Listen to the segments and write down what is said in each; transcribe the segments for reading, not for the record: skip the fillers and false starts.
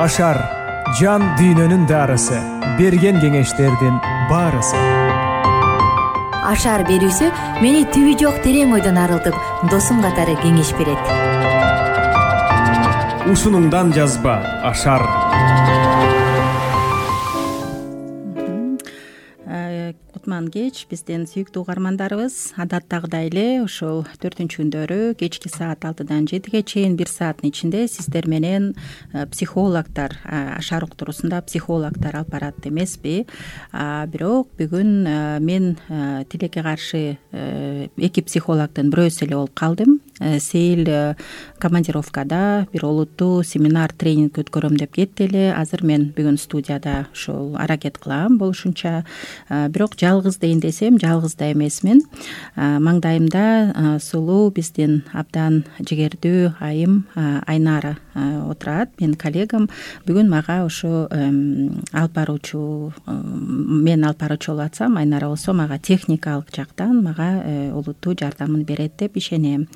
Ашар жан дүйнөнүн дарысы, берген кеңештердин баарысы. Ашар берүүсү мени түбү жок терең ойдон арылтып, досум катары кеңеш берет. Ушунуңдан жазба Ашар. Кутман кеч биздин сүйүктүү угармандарыбыз адаттагыдай эле ушул 4-күндөрү кечки саат 6-дан 7-ге чейин 1 сааттын ичинде сиздер менен психологдор, Ашар уктуруусунда психологдор алып барат эмеспи. Бирок бүгүн мен тилекке каршы 2 психологдун бирөөсү эле болуп калдым. Сейил командировкада бир олуттуу семинар, тренинг өткөрөм деп кетти эле. Азыр мен бүгүн студияда ушул аракет кылам болушунча. Бирок жалгыз дейин десем, жалгыз да эмесмин. Маңдайымда сулуу биздин абдан жигердүү айым Айнара отурат, менин коллегам. Бүгүн мага ушу алып баруучу, мен алып баруучу болуп атсам, Айнара болсо мага техникалык жактан мага олуттуу жардамын берет деп ишенем.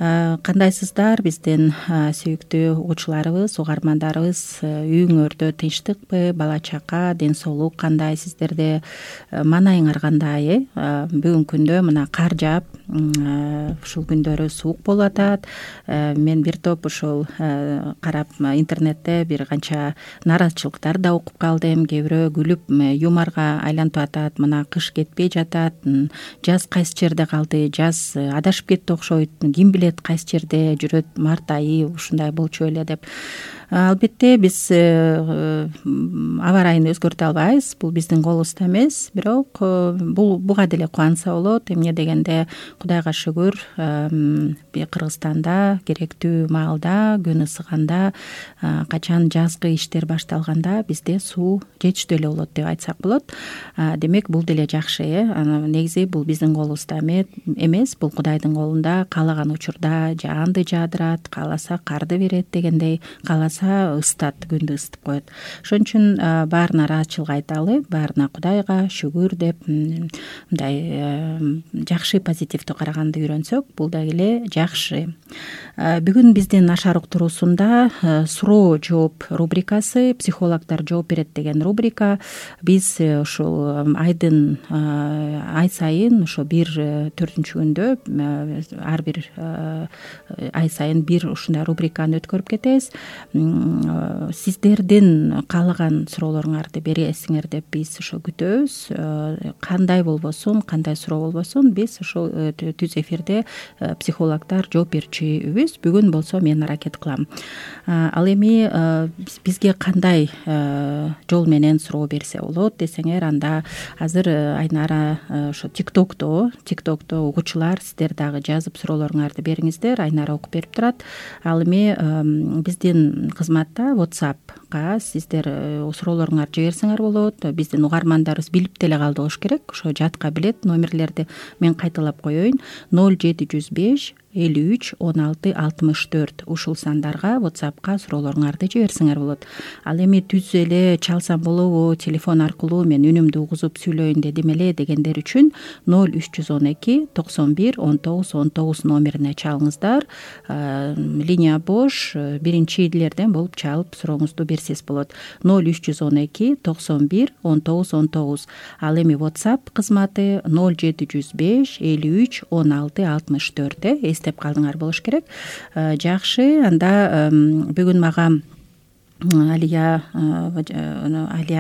Кандайсыздар биздин сүйүктүү угуучуларыбыз, угармандарыбыз? Үйүңөрдө тынчтыкпы, бала чака, ден соолук кандай, сиздерде маанайыңар кандай? Бүгүнкү күндө мына кар жаап, ушул күндөрү суук болуп атат. Мен бир топ ушул карап интернетте бир канча нааразычылыктар да окуп калдым. Кээ бирөө күлүп юморго айлантып атат. Мына кыш кетпей жатат, жаз кайсы жерде калды, жаз адашып кетти окшойт, ким билет кайсы жерде жүрөт, март айы ушундай болчу эле деп. Албетте биз аба ырайын өзгөртө албайбыз, бул биздин колубузда эмес. Бирок буга деле кубанса болот. Эмне дегенде Кудайга шүгүр, Кыргызстанда керектүү маалда, күн ысыганда, качан жазгы иштер башталганда бизде суу жетиштүү эле болот деп айтсак болот. Демек бул деле жакшы. Негизи бул биздин колубузда эмес, бул Кудайдын колунда. Каалаган учурда жаанды жаадырат, кааласа карды берет дегендей, кааласа ысытат, күндү ысытып коет. Ошон үчүн баарына ыраазычылык айталы, баарына Кудайга шүгүр деп мындай жакшы позитивдүү караганды үйрөнсөк, бул дагы эле жакшы. Бүгүн биздин Ашар уктуруусунда суроо жооп рубрикасы, психологдор жооп берет деген рубрика. Биз ушул ай сайын ошо 4-күндө ар бир ай сайын бир ушундай рубриканы өткөрүп кетебиз. Сиздердин каалаган суроолоруңарды бересиңер деп биз ошо күтөбүз. Кандай болбосун, кандай суроо болбосун, биз ошол түз эфирде психологдор жооп берүүчүбүз. Бүгүн болсо мен аракет кылам. Ал эми бизге кандай жол менен суроо берсе болот десеңер, анда азыр Айнара ошо TikTok'то угуучулар сиздер дагы жазып суроолоруңарды бериңиздер. Айнара окуп берип турат. Ал эми биздин кызматта WhatsApp'ка сиздер суроолоруңарды жиберсеңер болот. Биздин угармандарыбыз билип деле калды болуш керек. Ошо жатка билет номерлерди. Мен кайталап коеюн. 0705 53 16 64 ушул сандарга WhatsApp'ка суроолоруңарды жиберсеңер болот. Ал эми түз эле чалсам болобу, телефон аркылуу мен үнүмдү угузуп сүйлөйүн дедим эле дегендер үчүн 0312 91 19 19 номерине чалыңыздар. Линия бош, биринчилерден болуп чалып сурооңузду берсеңиз болот. 0312 91 19 19. Ал эми WhatsApp кызматы 0705 53 16 64. Эстеп калдыңар болуш керек. Жакшы, анда бүгүн мага Алия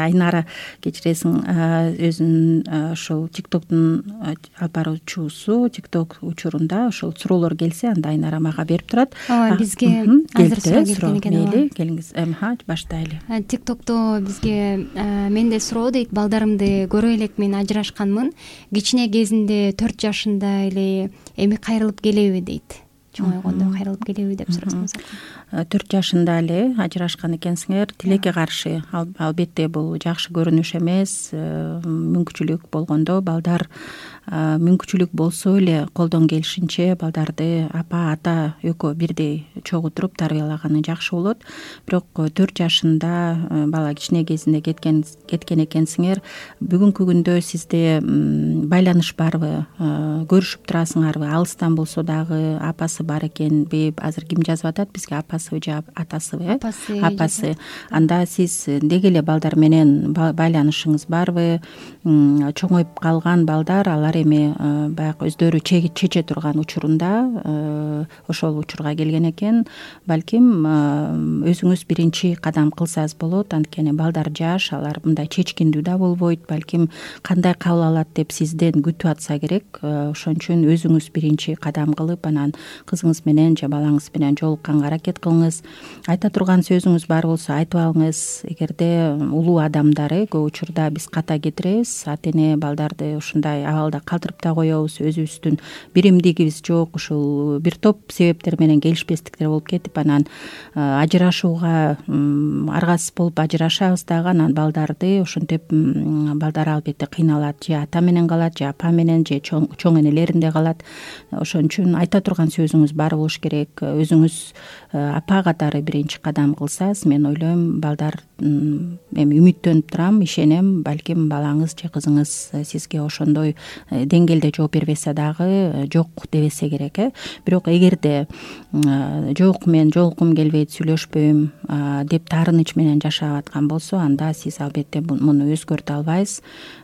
Айнара кечиресиң, өзүнүн ошол TikTok'тун алып баруучусу, TikTok учурунда ошол суроолор келсе, анда Айнара мага берип турат. Ооба, бизге азыр суроо келген экен. Мейли, келиңиз. Баштайлы. TikTok'то бизге менде суроо дейт: балдарымды көрө элекмин, ажырашканмын. Кичине кезинде 4 жашында эле, эми кайрылып келеби дейт. Чоңойгондо кайрылып келеби деп сурасаңыз. 4 жашында эле ажырашкан экенсиңер. Тилекке каршы. Албетте бул жакшы көрүнүш эмес. Мүмкүнчүлүк болгондо балдар, мүмкүнчүлүк болсо эле колдон келишинче балдарды апа, ата экөө бирдей чогуу туруп тарбиялаганы жакшы болот. Бирок 4 жашында бала кичине кезинде кеткен экенсиңер. Бүгүнкү күндө сизде байланыш барбы? Көрүшүп турасыңарбы? Алыстан болсо дагы апасы бар экенби? Азыр ким жазып атат бизге, апасыбы же атасыбы? Апасы. Анда сиз деги эле балдар менен байланышыңыз барбы? Чоңоюп калган балдар, алар эми баягы өздөрү чече турган учурунда ошол учурга келген экен. Балким өзүңүз биринчи кадам кылсаңыз болот. Анткени балдар жаш, алар мындай чечкиндүү да болбойт. Балким кандай кабыл алат деп сизден күтүп атса керек. Ошон үчүн өзүңүз биринчи кадам кылып, анан кызыңыз менен же балаңыз менен жолукканга аракет кылыңыз. Айта турган сөзүңүз бар болсо айтып алыңыз. Эгерде улуу адамдар көп учурда биз ката кетиребиз, ата-эне балдарды ушундай абалда калтырып да коебуз. Өзүбүздүн биримдигибиз жок, ушул бир топ себептер менен келишпестиктер болуп кетип, анан ажырашууга аргасыз болуп ажырашабыз дагы. Анан балдарды ошентип балдар албетте кыйналат, же ата менен калат, же апа менен, же чоң энелеринде калат. Ошон үчүн айта турган сөзүңүз бар болуш керек. Өзүңүз апа катары биринчи кадам кылсаңыз, мен ойлойм балдар эми үмүттөнүп турам, ишенем, балким балаңыз же кызыңыз сизге ошондой деңгээлде жооп бербесе дагы жок дебесе керек. Бирок эгерде жок, мен жолуккум келбейт, сүйлөшпөйм деп таарыныч менен жашап аткан болсо, анда сиз албетте муну өзгөртө албайсыз.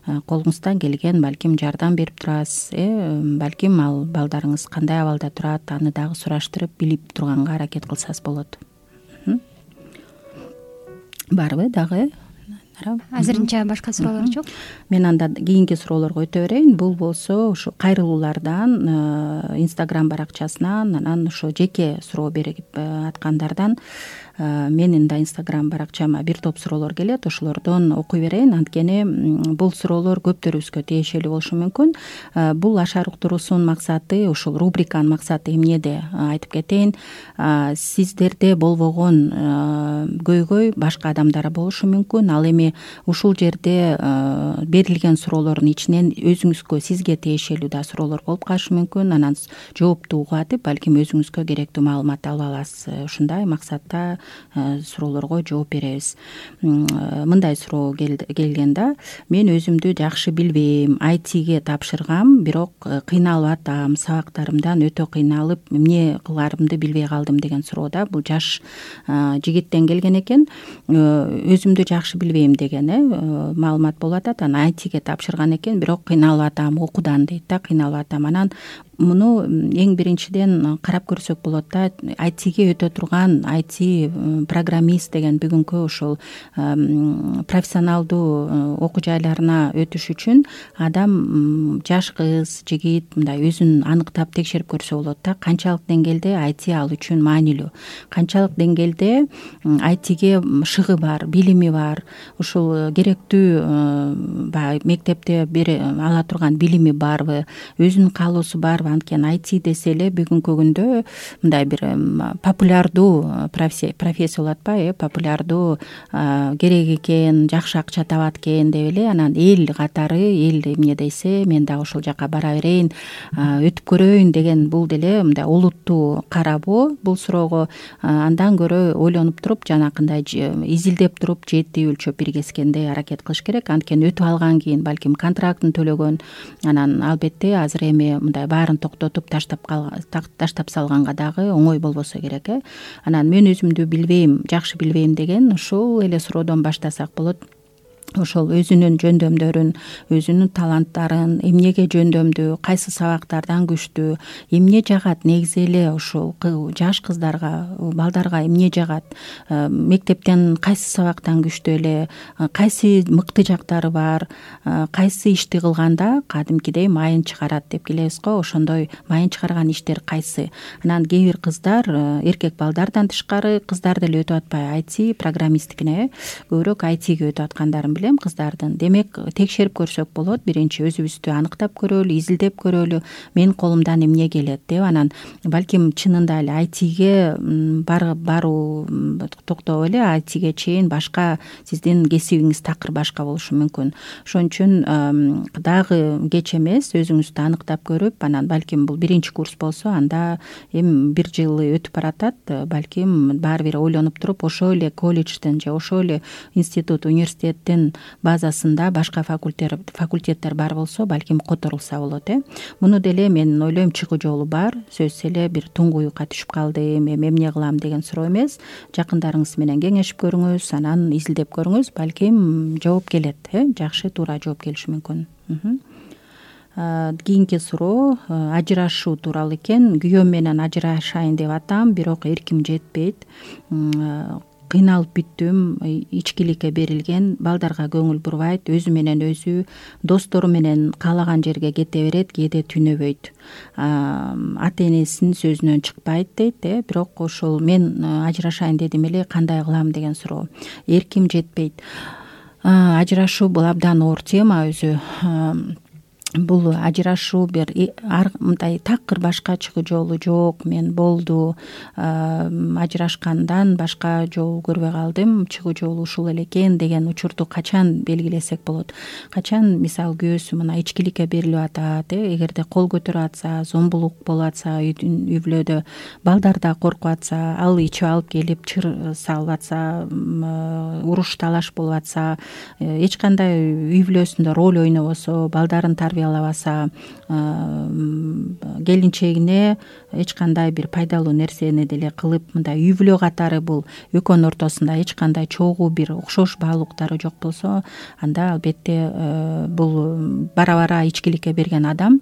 Колуңуздан келген балким жардам берип турасыз. Балким ал балдарыңыз кандай абалда турат, аны дагы сураштырып билип турганга аракет кылсаңыз болот. Барбы дагы? Азырынча башка суроолор жок. Мен анда кийинки суроолорго өтө берейин. Бул болсо ушу кайрылуулардан, Instagram баракчасынан, анан ошо жеке суроо берип аткандардан. Менин да Instagram баракчама бир топ суроолор келет, ошолордон окуй берейин. Анткени бул суроолор көптөрүбүзгө тиешелүү болушу мүмкүн. Бул ашар уктуруусунун максаты, ушул рубриканын максаты эмнеде айтып кетейин. Сиздерде болбогон көйгөй башка адамдарда болушу мүмкүн. Ал эми ушул жерде берилген суроолордун ичинен өзүңүзгө, сизге тиешелүү да суроолор болуп калышы мүмкүн. Анан жоопту угуп атып, балким өзүңүзгө керектүү маалымат алып аласыз. Ушундай максатта суроолорго жооп беребиз. Мындай суроо келген да: мен өзүмдү жакшы билбейм, ITге тапшыргам, бирок кыйналып атам, сабактарымдан өтө кыйналып, эмне кыларымды билбей калдым деген суроо да. Бул жаш жигиттен келген экен. Өзүмдү жакшы билбейм деген маалымат болуп атат. Анан ITге тапшырган экен, бирок кыйналып атам, окуудан дейт да, кыйналып атам. Анан муну эң биринчиден карап көрсөк болот да. ITге өтө турган IT программист деген бүгүнкү ушул профессионалдуу окуу жайларына өтүш үчүн адам, жаш кыз, жигит мындай өзүн аныктап текшерип көрсө болот да. Канчалык деңгээлде IT ал үчүн маанилүү, канчалык деңгээлде ITге шыгы бар, билими бар, ушул керектүү баягы мектепте ала турган билими барбы, өзүнүн каалоосу барбы. Анткени IT десе эле бүгүнкү күндө мындай бир популярдуу профессия болуп атпайбы? Популярдуу керек экен, жакшы акча табат экен деп эле, анан эл катары, эл эмне десе, мен дагы ошол жака бара берейин, өтүп көрөйүн деген бул деле мындай олуттуу карабоо бул суроого. Андан көрө ойлонуп туруп, жанакындай изилдеп туруп, жети өлчөп бир кескендей аракет кылыш керек. Анткени өтүп алган кийин балким контрактын төлөгөн, анан албетте азыр эми мындай баарын токтотуп таштап салганга дагы оңой болбосо керек. Анан мен өзүмдү билбейм, жакшы билбейм деген ушул эле суроодон баштасак болот. Ошол өзүнүн жөндөмдөрүн, өзүнүн таланттарын, эмнеге жөндөмдүү, кайсы сабактардан күчтүү, эмне жагат негизи эле ушул жаш кыздарга, балдарга эмне жагат, мектептен кайсы сабактан күчтүү эле, кайсы мыкты жактары бар, кайсы ишти кылганда кадимкидей майын чыгарат деп келебиз го, ошондой майын чыгарган иштер кайсы. Анан кээ бир кыздар, эркек балдардан тышкары кыздар деле өтүп атпайбы IT программисттигине, көбүрөөк ITге өтүп аткандарын билем. элем кыздардын. Демек текшерип көрсөк болот. Биринчи өзүбүздү аныктап көрөлү, изилдеп көрөлү, менин колумдан эмне келет деп, анан балким чынында эле айтиге баруу токтоп эле айтиге чейин башка сиздин кесибиңиз такыр башка болушу мүмкүн. Ошон үчүн дагы кеч эмес, өзүңүздү аныктап көрүп, анан балким бул биринчи курс болсо, анда эми 1 жыл өтүп баратат, балким баары бир ойлонуп туруп, ошол эле колледждин же ошол эле институт, университеттин базасында башка факультеттер бар болсо, балким которулса болот. Муну деле мен ойлойм чыгуу жолу бар. Сөзсүз эле бир туңгуюкка түшүп калдым, эмне кылам деген суроо эмес. Жакындарыңыз менен кеңешип көрүңүз, анан изилдеп көрүңүз, балким жооп келет, жакшы туура жооп келиши мүмкүн. Кийинки суроо ажырашуу тууралуу экен. Күйөөм менен ажырашайын деп атам, бирок эрким жетпейт. Кыйналып бүттүм, ичкиликке берилген, балдарга көңүл бурбайт, өзү менен өзү, достору менен каалаган жерге кете берет, кээде түнөбөйт. Ата энесинин сөзүнөн чыкпайт дейт, бирок ошол мен ажырашайын дедим эле, кандай кылам деген суроо. Эрким жетпейт. Ажырашуу бул абдан оор тема өзү. Бул ажырашуу бир мындай такыр башка чыгуу жолу жок. Мен болду, ажырашкандан башка жол көрбөй калдым, чыгуу жолу ушул эле экен деген учурду качан белгилесек болот? Качан мисалы күйөөсү мына ичкиликке берилип атат, эгерде кол көтөрүп атса, зомбулук болуп атса, үй бүлөдө балдар да коркуп атса, ал ичип алып келип чыр салып атса, уруш талаш болуп атса, эч кандай үй бүлөсүндө роль ойнобосо, балдарын тарбиялабаса, келинчегине эч кандай бир пайдалуу нерсени деле кылып, мындай үй бүлө катары бул экөөнүн ортосунда эч кандай чогуу бир окшошпаалыктары жок болсо, анда албетте бул бара-бара ичкиликке берилген адам,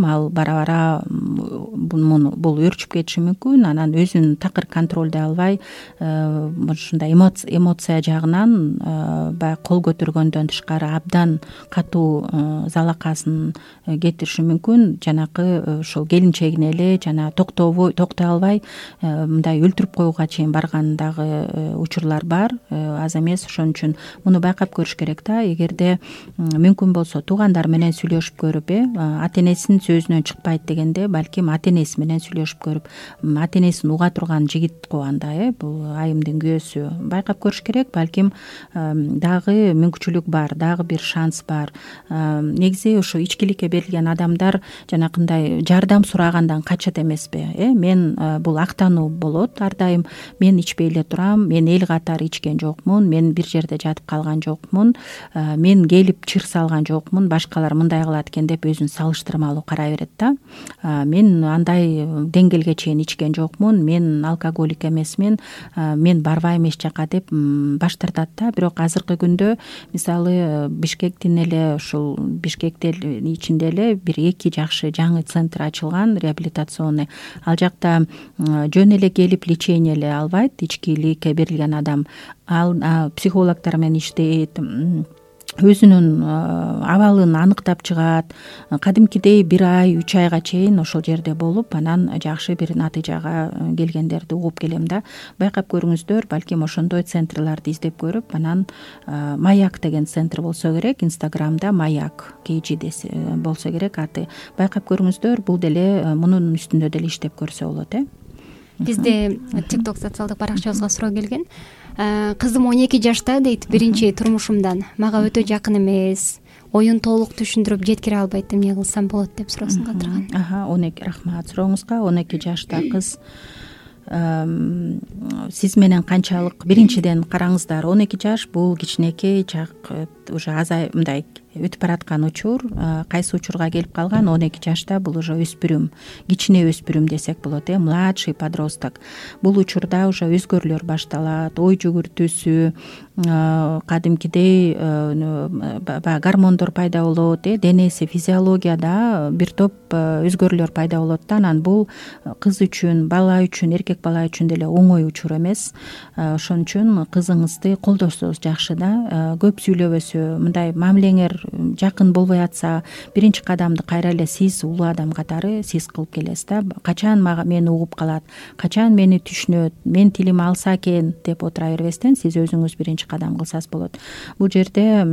ал бара-бара бул өөрчүп кетиши мүмкүн. Анан өзүн такыр контролдой албай, ушундай эмоция жагынан баягы кол көтөргөндөн тышкары абдан катуу залакасын кетириши мүмкүн. Жанакы ошол келинчегине эле жана токтой албай мындай өлтүрүп коюуга чейин барган дагы учурлар бар, аз эмес. Ошон үчүн муну байкап көрүш керек да. Эгерде мүмкүн болсо туугандар менен сүйлөшүп көрүп, ата энесинин сөзүнөн чыкпайт дегенде, балким ата энеси менен сүйлөшүп көрүп, ата энесин уга турган жигит го анда, бул айымдын күйөөсү, байкап көрүш керек. Балким дагы мүмкүнчүлүк бар, дагы бир шанс бар. Негизи ошо ичкиликке берилген адамдар жанакындай жардам сурагандан качат эмеспи? Мен бул актануу болот ар дайым. Мен ичпей эле турам, мен эл катары ичкен жокмун, мен бир жерде жатып калган жокмун, мен келип чыр салган жокмун, башкалар мындай кылат экен деп өзүн салыштырмалуу карай берет да. Мен андай деңгээлге чейин ичкен жокмун, мен алкоголик эмесмин, мен барбайм эч жака деп баш тартат да. Бирок азыркы күндө мисалы Бишкектин эле, ушул Бишкектин ичинде эле бир 2 жакшы жаңы центр ачылган, реабилитационный. Ал жакта жөн эле келип лечение эле албайт ичкиликке берилген адам. Ал психологдор менен иштейт, өзүнүн абалын аныктап чыгат. Кадимкидей 1 ай 3 айга чейин ошол жерде болуп, анан жакшы бир натыйжага келгендерди угуп келем да. Байкап көрүңүздөр, балким ошондой центрларды издеп көрүп, анан Маяк деген центр болсо керек, Инстаграмда Маяк KG десе болсо керек аты. Байкап көрүңүздөр, бул деле мунун үстүндө деле иштеп көрсө болот. Бизде TikTok социалдык баракчабызга суроо келген. Кызым 12 жашта дейт, биринчи турмушумдан, мага өтө жакын эмес, оюн толук түшүндүрүп жеткире албайт, эмне кылсам болот деп суроосун калтырган. 12 рахмат сурооңузга. 12 жашта кыз сиз менен канчалык? Биринчиден караңыздар, 12 жаш бул кичинекей чак, уже мындай өтүп бараткан учур. Кайсы учурга келип калган? 12 жашта бул уже өспүрүм, кичине өспүрүм десек болот, младший подросток. Бул учурда уже өзгөрүүлөр башталат, ой жүгүртүүсү, кадимкидей гормондор пайда болот, денеси, физиологияда бир топ өзгөрүүлөр пайда болот да. Анан бул кыз үчүн, бала үчүн, эркек бала үчүн деле оңой учур эмес. Ошон үчүн кызыңызды колдосоңуз жакшы да. Көп сүйлөбөсү, түшүнбөсө, мындай мамилеңер жакын болбой атса, биринчи кадамды кайра эле сиз улуу адам катары сиз кылып келесиз да. Качан мени угуп калат, качан мени түшүнөт, менин тилим алса экен деп отура бербестен сиз өзүңүз биринчи кадам кылсаңыз болот. Бул жерде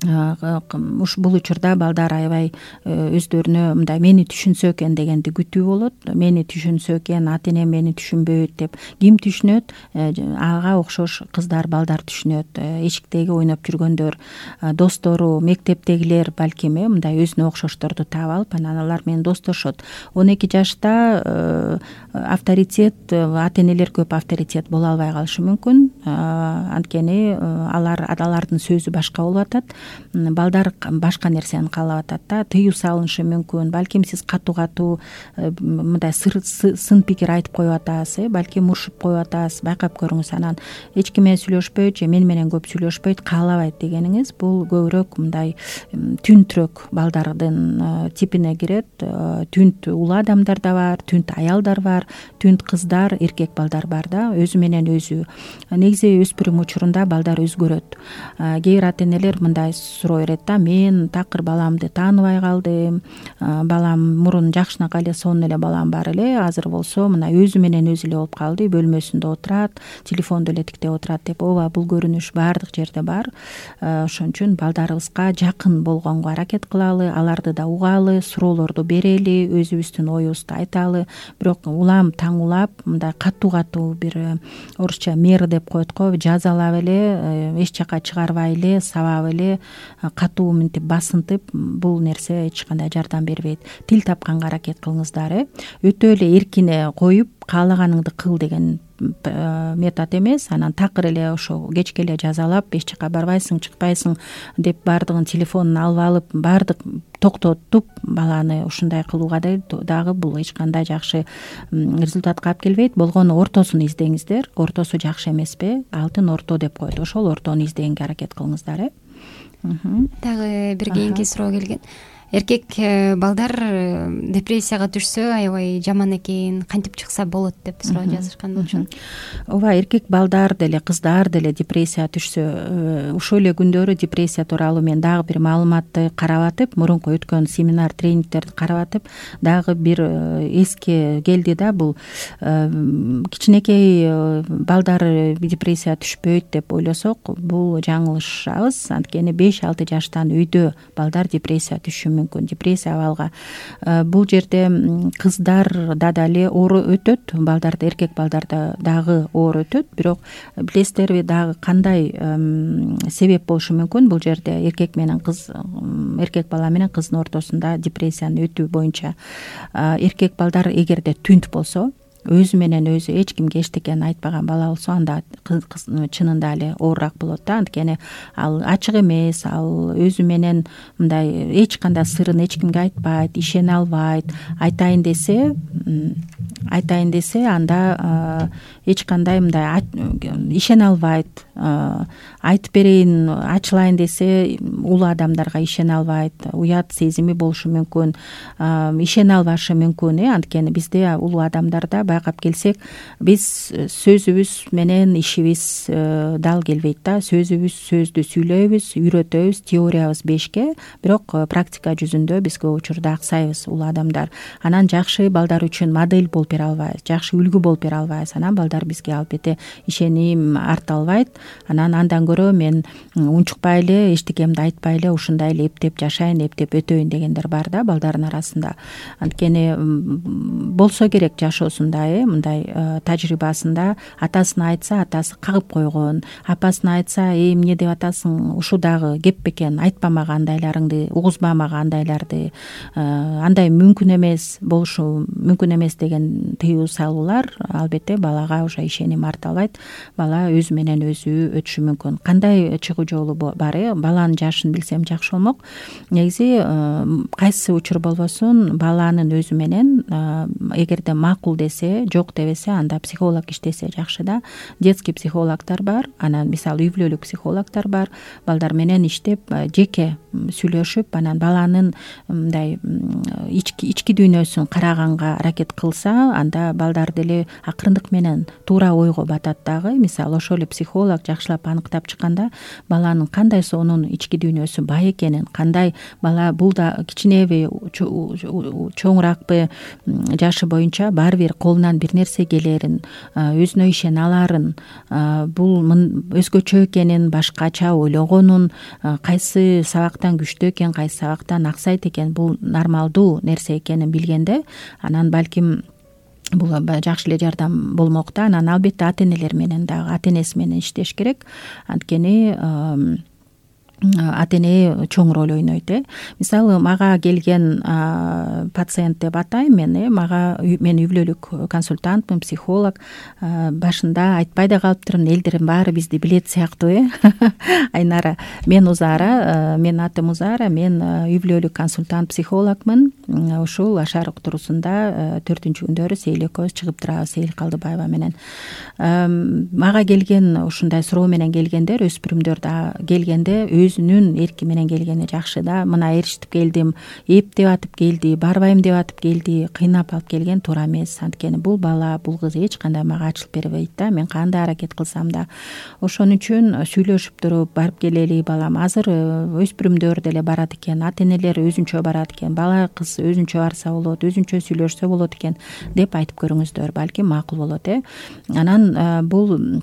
бул учурда балдар аябай өздөрүнө мындай мени түшүнсө экен дегенди күтүү болот. Мени түшүнсө экен, ата энем мени түшүнбөйт деп. Ким түшүнөт? Ага окшош кыздар, балдар түшүнөт. Эшиктеги ойноп жүргөндөр, достору, мектептегилер балким мындай өзүнө окшошторду таап алып, анан алар менен достошот. 12 жашта авторитет, ата энелер көп авторитет боло албай калышы мүмкүн. Анткени алардын сөзү башка болуп атат. Балдар башка нерсени каалап атат да, тыюу салынышы мүмкүн. Балким сиз катуу мындай сын пикир айтып коюп атасыз, балким урушуп коюп атасыз. Байкап көрүңүз, анан эч ким менен сүйлөшпөйт же мен менен көп сүйлөшпөйт, каалабайт дегениңиз бул көбүрөөк мындай түнтүрөөк балдардын типине кирет. Түнт улуу адамдар да бар, түнт аялдар бар, түнт кыздар, эркек балдар бар да. Өзү менен өзү. Негизи өспүрүм учурунда балдар өзгөрөт. Кээ бир ата энелер мындай суроо берет да, мен такыр баламды тааныбай калдым, балам мурун жакшынакай эле сонун эле балам бар эле, азыр болсо мына өзү менен өзү эле болуп калды, бөлмөсүндө отурат, телефонду эле тиктеп отурат деп. Ооба, бул көрүнүш баардык жерде бар. Ошон үчүн балдарыбызга жакын болгонго аракет кылалы, аларды да угалы, суроолорду берели, өзүбүздүн оюбузду айталы. Бирок улам таң улап мындай катуу бир орусча мера деп коет го, жазалап эле, эч жака чыгарбай эле, сабап эле, катуу мынтип басынтып, бул нерсе эч кандай жардам бербейт. Тил тапканга аракет кылыңыздар. Өтө эле эркине коюп, каалаганыңды кыл деген метод эмес. Анан такыр эле ошо кечке эле жазалап, эч жака барбайсың, чыкпайсың деп баардыгын телефонун алып алып, баардык токтотуп баланы ушундай кылууга дагы бул эч кандай жакшы результатка алып келбейт. Болгону ортосун издеңиздер. Ортосу жакшы эмеспи? Алтын орто деп коет. Ошол ортону издегенге аракет кылыңыздар. Дагы бир кийинки суроо келген. Эркек балдар депрессияга түшсө аябай жаман экен, кантип чыкса болот деп суроо жазышкан болчу. Ооба, эркек балдар деле, кыздар деле депрессияга түшсө, ушул эле күндөрү депрессия тууралуу мен дагы бир маалыматты карап атып, мурунку өткөн семинар, тренингтерди карап атып, дагы бир эске келди да, бул кичинекей балдар депрессияга түшпөйт деп ойлосок, бул жаңылышабыз. Анткени 5-6 жаштан үйдө балдар депрессияга түшүшү мүмкүн, депрессия абалга. Бул жерде кыздар да эле оор өтөт, балдарда, эркек балдарда дагы оор өтөт. Бирок билесиздерби, дагы кандай себеп болушу мүмкүн? Бул жерде эркек бала менен кыздын ортосунда депрессияны өтүү боюнча эркек балдар эгерде түнт болсо, өзү менен өзү эч кимге эчтекени айтпаган бала болсо, анда кыз чынында эле оорураак болот да. Анткени ал ачык эмес, ал өзү менен мындай эч кандай сырын эч кимге айтпайт, ишене албайт. Айтайын десе, анда эч кандай мындай ишене албайт. Айтып берейин, ачылайын десе, улуу адамдарга ишене албайт. Уят сезими болушу мүмкүн, ишене албашы мүмкүн. Анткени бизде улуу адамдарда байкап келсек, биз сөзүбүз менен ишибиз дал келбейт да. Сөздү сүйлөйбүз, үйрөтөбүз, теориябыз 5ке, бирок практика жүзүндө биз көп учурда аксайбыз улуу адамдар. Анан жакшы балдар үчүн модель болуп бере албайбыз, жакшы үлгү болуп бере албайбыз. Анан балдар бизге албетте ишеним арта албайт. Анан андан көрө мен унчукпай эле, эчтекемди айтпай эле, ушундай эле эптеп жашайын, эптеп өтөйүн дегендер бар да балдардын арасында. Анткени болсо керек жашоосунда, мындай тажрыйбасында атасына айтса, атасы кагып койгон, апасына айтса, эмне деп атасың, ушу дагы кеп бекен, айтпамага андайларыңды, угузбамага андайларды, андай мүмкүн эмес, болушу мүмкүн эмес деген тыюу салуулар албетте балага уже ишеним арта албайт. Бала өзү менен өзү өтүшү мүмкүн. Кандай чыгуу жолу бар? Баланын жашын билсем жакшы болмок. Негизи кайсы учур болбосун, баланын өзү менен эгерде макул десе, жок дебесе, анда психолог иштесе жакшы да. Детский психологдор бар, анан мисалы үй бүлөлүк психологдор бар. Балдар менен иштеп, жеке сүйлөшүп, анан баланын мындай ички дүйнөсүн караганга аракет кылса, анда балдар деле акырындык менен туура ойго батат дагы. Мисалы ошол эле психолог жакшылап аныктап чыкканда баланын кандай сонун ички дүйнөсү бай экенин, кандай бала бул да кичинеби чоңуракпы жашы боюнча баары бир колунан бир нерсе келерин, өзүнө ишене аларын, бул өзгөчө экенин, башкача ойлогонун, кайсы сабактан күчтүү экен, кайсы сабактан аксайт экен, бул нормалдуу нерсе экенин билгенде анан балким бул жакшы эле жардам болмок да. Анан албетте ата энелер менен дагы ата энеси менен иштеш керек. Анткени ата эне чоң роль ойнойт. Мисалы мага келген пациент деп атайм мен, мен үй бүлөлүк консультантмын, психолог. Башында айтпай да калыптырмын, элдердин баары бизди билет сыяктуу. Айнара, мен Узара, менин атым Узара, мен үй бүлөлүк консультант, психологмун. Ушул Ашар уктуруусунда 4-күндөрү Сейил экөөбүз чыгып турабыз, Сейил Калдыбаева менен. Мага келген ушундай суроо менен келгендер, өспүрүмдөр да келгенде өзүнүн эрки менен келгени жакшы да. Мына эришип келдим, эптеп атып келди, барбайм деп атып келди, кыйнап алып келген туура эмес. Анткени бул бала, бул кыз эч кандай мага ачылып бербейт да. Мен кандай аракет кылсам да. Ошон үчүн сүйлөшүп туруп барып келели балам. Азыр өспүрүмдөр деле барат экен, ата энелер өзүнчө барат экен, бала кыз өзүнчө барса болот, өзүнчө сүйлөшсө болот экен деп айтып көрүңүздөр. Балким макул болот. Анан бул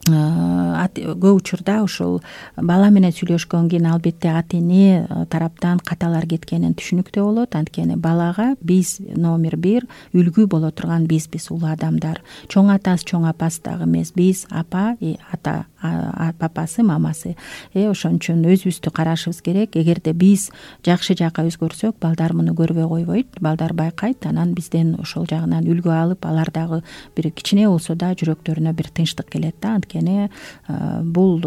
көп учурда ушул бала менен сүйлөшкөндөн кийин албетте ата эне тараптан каталар кеткенин түшүнүктүү болот. Анткени балага биз номер 1 үлгү боло турган бизбиз, улуу адамдар. Чоң атасы, чоң апасы дагы эмес, биз апа, ата, папасы, мамасы. Ошон үчүн өзүбүздү карашыбыз керек. Эгерде биз жакшы жакка өзгөрсөк, балдар муну көрбөй койбойт, балдар байкайт. Анан бизден ошол жагынан үлгү алып, алар дагы бир кичине болсо да жүрөктөрүнө бир тынчтык келет да. Анткени бул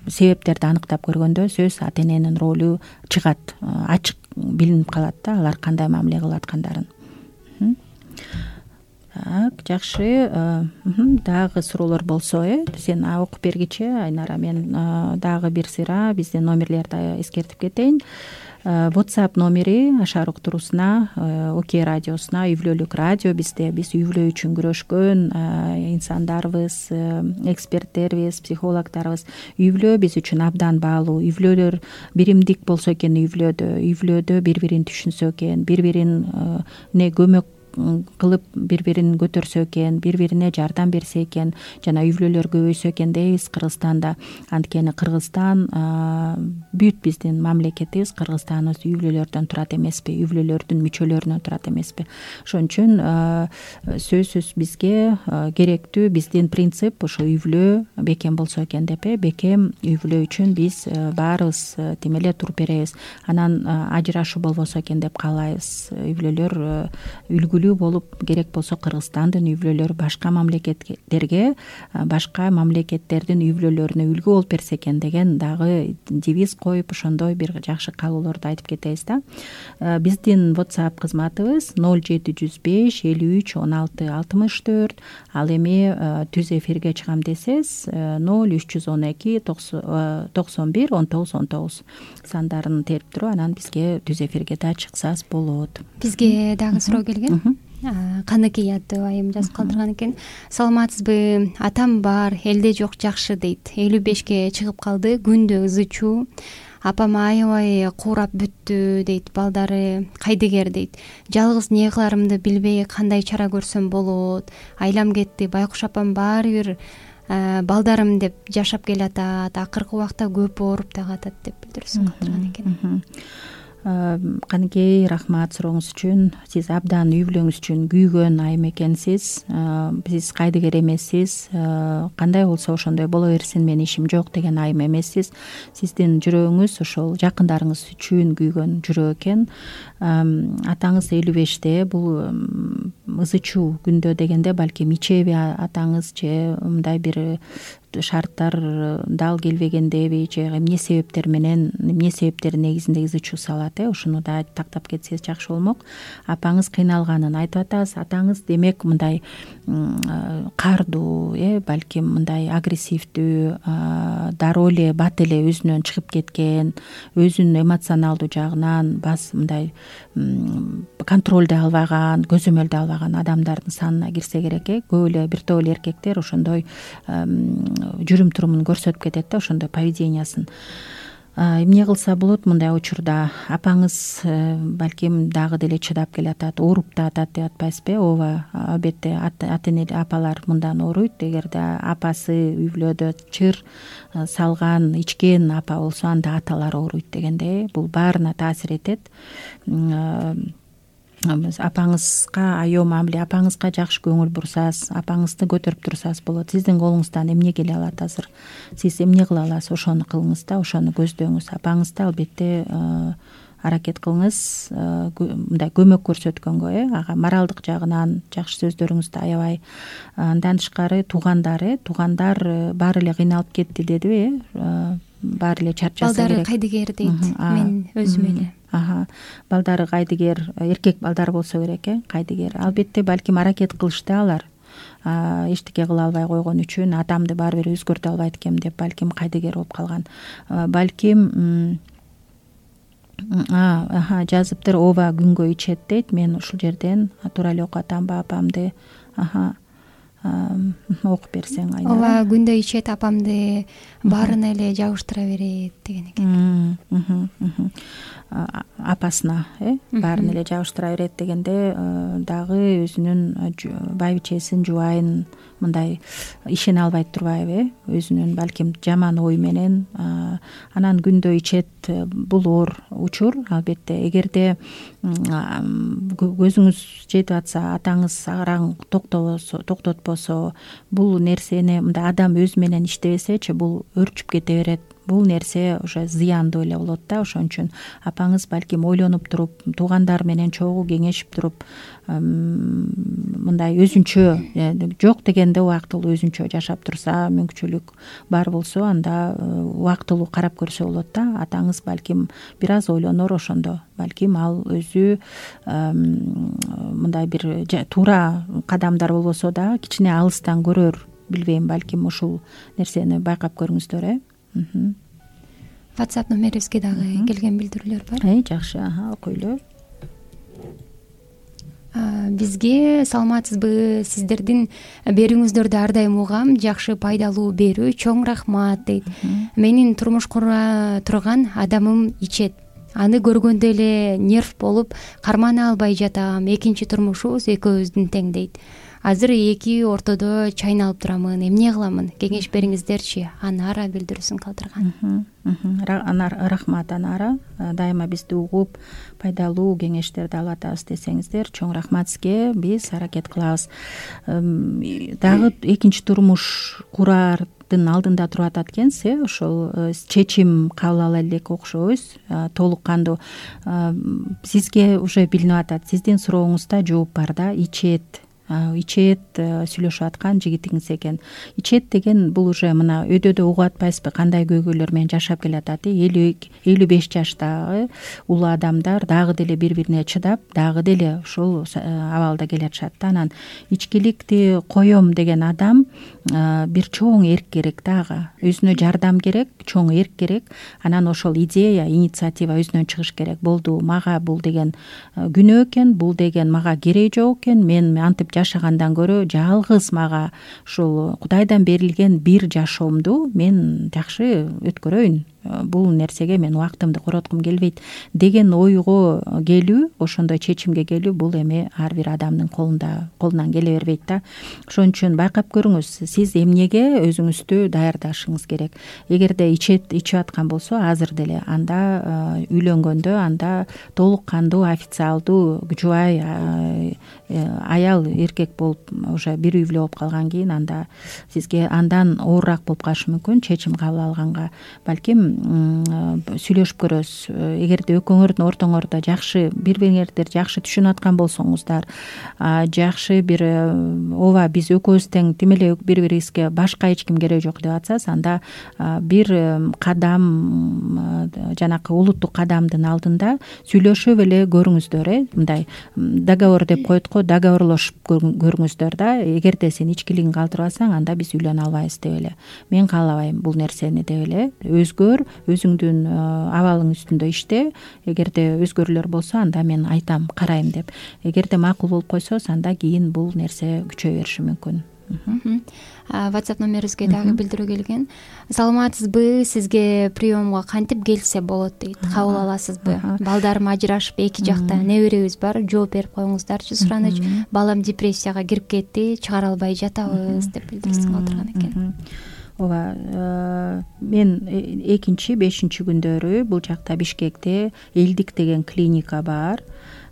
себептерди аныктап көргөндө сөз ата эненин ролу чыгат, ачык билинип калат да, алар кандай мамиле кылып аткандарын. Так, жакшы. Дагы суроолор болсо, сен окуп бергичи Айнара, мен дагы бир сыйра биздин номерлерди эскертип кетейин. WhatsApp номери Ашар уктуруусуна, ОК радиосуна, үй бүлөлүк радио бизде. Биз үй бүлө үчүн күрөшкөн инсандарбыз, эксперттербиз, психологдорбуз. Үй бүлө биз үчүн абдан баалуу. Үй бүлөлөр биримдик болсо экен, үй бүлөдө бири-бирин түшүнсө экен, бири-бирине көмөк кылып бири-бирин көтөрсө экен, бири-бирине жардам берсе экен, жана үй бүлөлөр көбөйсө экен дейбиз Кыргызстанда. Анткени Кыргызстан бүт биздин мамлекетибиз, Кыргызстаныбыз үй бүлөлөрдөн турат эмеспи, үй бүлөлөрдүн мүчөлөрүнөн турат эмеспи. Ошон үчүн сөзсүз бизге керектүү биздин принцип ошо үй бүлө бекем болсо экен деп, бекем үй бүлө үчүн биз баарыбыз тим эле туруп беребиз. Анан ажырашуу болбосо экен деп каалайбыз. Үй бүлөлөр үлгүлүү болуп, керек болсо Кыргызстандын үй бүлөлөрү башка мамлекеттерге, башка мамлекеттердин үй бүлөлөрүнө үлгү болуп берсе экен деген дагы девиз коюп, ошондой бир жакшы каалоолорду айтып кетебиз да. Биздин WhatsApp кызматыбыз 0705 53 16 64. Ал эми түз эфирге чыгам десеңиз 0312 91 19 19 сандарын терип туруп, анан бизге түз эфирге да чыксаңыз болот. Бизге дагы суроо келген. Каныкей аттуу айым жазып калтырган экен. Саламатсызбы? Атам бар, элде жок, жакшы дейт. 55ке чыгып калды, күндө ызычуу. Апам аябай куурап бүттү дейт. Балдары кайдыгер дейт. Жалгыз эмне кыларымды билбей, кандай чара көрсөм болот? Айлам кетти, байкуш апам баары бир балдарым деп жашап келатат. Акыркы убакта көп ооруп дагы атат деп билдирүүсүн калтырган экен. Каныкей, рахмат сурооңуз үчүн. Сиз абдан үй бүлөңүз үчүн күйгөн айым экенсиз. Сиз кайдыгер эмессиз. Кандай болсо ошондой боло берсин, менин ишим жок деген айым эмессиз. Сиздин жүрөгүңүз ошол жакындарыңыз үчүн күйгөн жүрөк экен. Атаңыз 55-те, бул ызычуу күндө дегенде балким ичеби атаңыз же мындай бир шарттар дал келбегендеби, же эмне себептер менен, эмне себептердин негизинде ызычуу салат, ушуну да тактап кетсеңиз жакшы болмок. Апаңыз кыйналганын айтып атасыз. Атаңыз демек мындай кардуу, балким мындай агрессивдүү, дароо эле бат эле өзүнөн чыгып кеткен, өзүнүн эмоционалдуу жагынан мындай контролду албаган, көзөмөлдү албаган адамдардын санына кирсе керек. Көп эле бир топ эле эркектер ошондой жүрүм турумун көрсөтүп кетет да, ошондой поведениясын. Эмне кылса болот мындай учурда? Апаңыз балким дагы деле чыдап келатат, ооруп да атат деп атпайсызбы? Ооба, албетте апалар мындан ооруйт. Эгерде апасы үй бүлөдө чыр салган, ичкен апа болсо, анда аталар ооруйт дегенде, бул баарына таасир этет. Апаңызга аё мамиле, апаңызга жакшы көңүл бурсаңыз, апаңызды көтөрүп турсаңыз болот. Сиздин колуңуздан эмне келе алат азыр? Сиз эмне кыла аласыз? Ошону кылыңыз да, ошону көздөңүз. Апаңызды албетте аракет кылыңыз мындай көмөк көрсөткөнгө, ага моралдык жагынан жакшы сөздөрүңүздү аябай. Андан тышкары туугандар баары эле кыйналып кетти дедиби? Баары эле чарчаса керек. Балдары кайдыгер дейт. Мен өзүм эле. Балдары кайдыгер, эркек балдар болсо керек, кайдыгер. Албетте балким аракет кылышты алар. Эчтеке кыла албай койгон үчүн, атамды баары бир өзгөртө албайт экенм деп балким кайдыгер болуп калган. Балким жазыптыр, ооба күнгө ичет дейт. Мен ушул жерден туура эле окуп атамбы апамды? Окуп берсең Айнара. Ооба күндө ичет, апамды баарына эле жабыштыра берет деген экен. Апасына баарын эле жабыштыра берет дегенде, дагы өзүнүн байбичесин, жубайын мындай ишене албайт турбайбы? Өзүнүн балким жаман ой менен анан күндө ичет, бул оор учур. Албетте эгерде көзүңүз жетип атса, атаңыз араң токтотпосо, бул нерсени мындай адам өзү менен иштебесечи, бул өрчүп кете берет. Бул нерсе уже зыяндуу эле болот да. Ошон үчүн апаңыз балким ойлонуп туруп, туугандар менен чогуу кеңешип туруп, мындай өзүнчө, жок дегенде убактылуу өзүнчө жашап турса, мүмкүнчүлүк бар болсо, анда убактылуу карап көрсө болот да. Атаңыз балким бир аз ойлонор ошондо. Балким ал өзү мындай бир туура кадамдар болбосо да, кичине алыстан көрөр, билбейм, балким ушул нерсени байкап көрүңүздөр. WhatsApp номерибизге дагы келген билдирүүлөр бар. Жакшы, окуйлу. Бизге саламатсызбы, сиздердин берүүңүздөрдү ар дайым угам, жакшы пайдалуу берүү, чоң рахмат дейт. Менин турмуш кура турган адамым ичет. Аны көргөндө эле нерв болуп кармана албай жатам. Экинчи турмушубуз экөөбүздүн тең дейт. Азыр эки ортодо чайналып турамын. Эмне кыламын? Кеңеш бериңиздерчи? Анара билдирүүсүн калтырган. Рахмат Анара. Дайыма бизди угуп, пайдалуу кеңештерди алып атабыз десеңиздер, чоң рахмат сизге. Биз аракет кылабыз. Дагы экинчи турмуш курардын алдында туруп атат экенсиз, ошол чечим кабыл ала элек окшойбуз. Толук кандуу. Сизге уже билинип атат. Сиздин сурооңузда жооп бар да. Ичет сүйлөшүп аткан жигитиңиз экен. Ичет деген бул уже мына өйдөдө угуп атпайсызбы, кандай көйгөйлөр менен жашап келатат. 55 жаштагы улуу адамдар дагы деле бири-бирине чыдап, дагы деле ушул абалда келатышат да. Анан ичкиликти коем деген адам бир чоң эрк керек дагы. Өзүнө жардам керек, чоң эрк керек. Анан ошол идея, инициатива өзүнөн чыгыш керек. Болду, мага бул деген күнөө экен, бул деген мага кереги жок экен. Мен антип жашагандан көрө жалгыз мага ушул Кудайдан берилген бир жашоомду мен жакшы өткөрөйүн. Бул нерсеге мен убактымды короткум келбейт деген ойго келүү, ошондой чечимге келүү, бул эми ар бир адамдын колунан келе бербейт да. Ошон үчүн байкап көрүңүз, сиз эмнеге өзүңүздү даярдашыңыз керек. Эгерде ичип аткан болсо, азыр деле анда үйлөнгөндө, анда толук кандуу, официалдуу, жубай аял эркек болуп уже бир үй бүлө болуп калган кийин, анда сизге андан оорураак болуп калышы мүмкүн чечим кабыл алганга. Балким сүйлөшүп көрөсүз. Эгерде экөөңөрдүн ортоңордо жакшы бири-бириңерди жакшы түшүнүп аткан болсоңуздар, жакшы бир ооба биз экөөбүз тең, тим эле бири-бирибизге башка эч ким кереги жок деп атсаңыз, анда бир кадам, жанакы улуттук кадамдын алдында сүйлөшүп эле көрүңүздөр, мындай договор деп коет го, договорлошуп көрүңүздөр да. Эгерде сен ичкилигиңди калтырбасаң, анда биз үйлөнө албайбыз деп эле. Мен каалабайм бул нерсени деп эле. Өзгөр, өзүңдүн абалың үстүндө иште. Эгерде өзгөрүүлөр болсо, анда мен айтам, карайм деп. Эгерде макул болуп койсоңуз, анда кийин бул нерсе күчөй бериши мүмкүн. WhatsApp номерибизге дагы билдирүү келген. Саламатсызбы, сизге приемго кантип келсе болот дейт, кабыл аласызбы? Балдарым ажырашып, эки жакта неберебиз бар, жооп берип коюңуздарчы. Сураныч, балам депрессияга кирип кетти, чыгара албай жатабыз деп билдирсең отурган экен. Ооба, мен 2-5 күндөрү бул жакта Бишкекте Элдик деген клиника бар.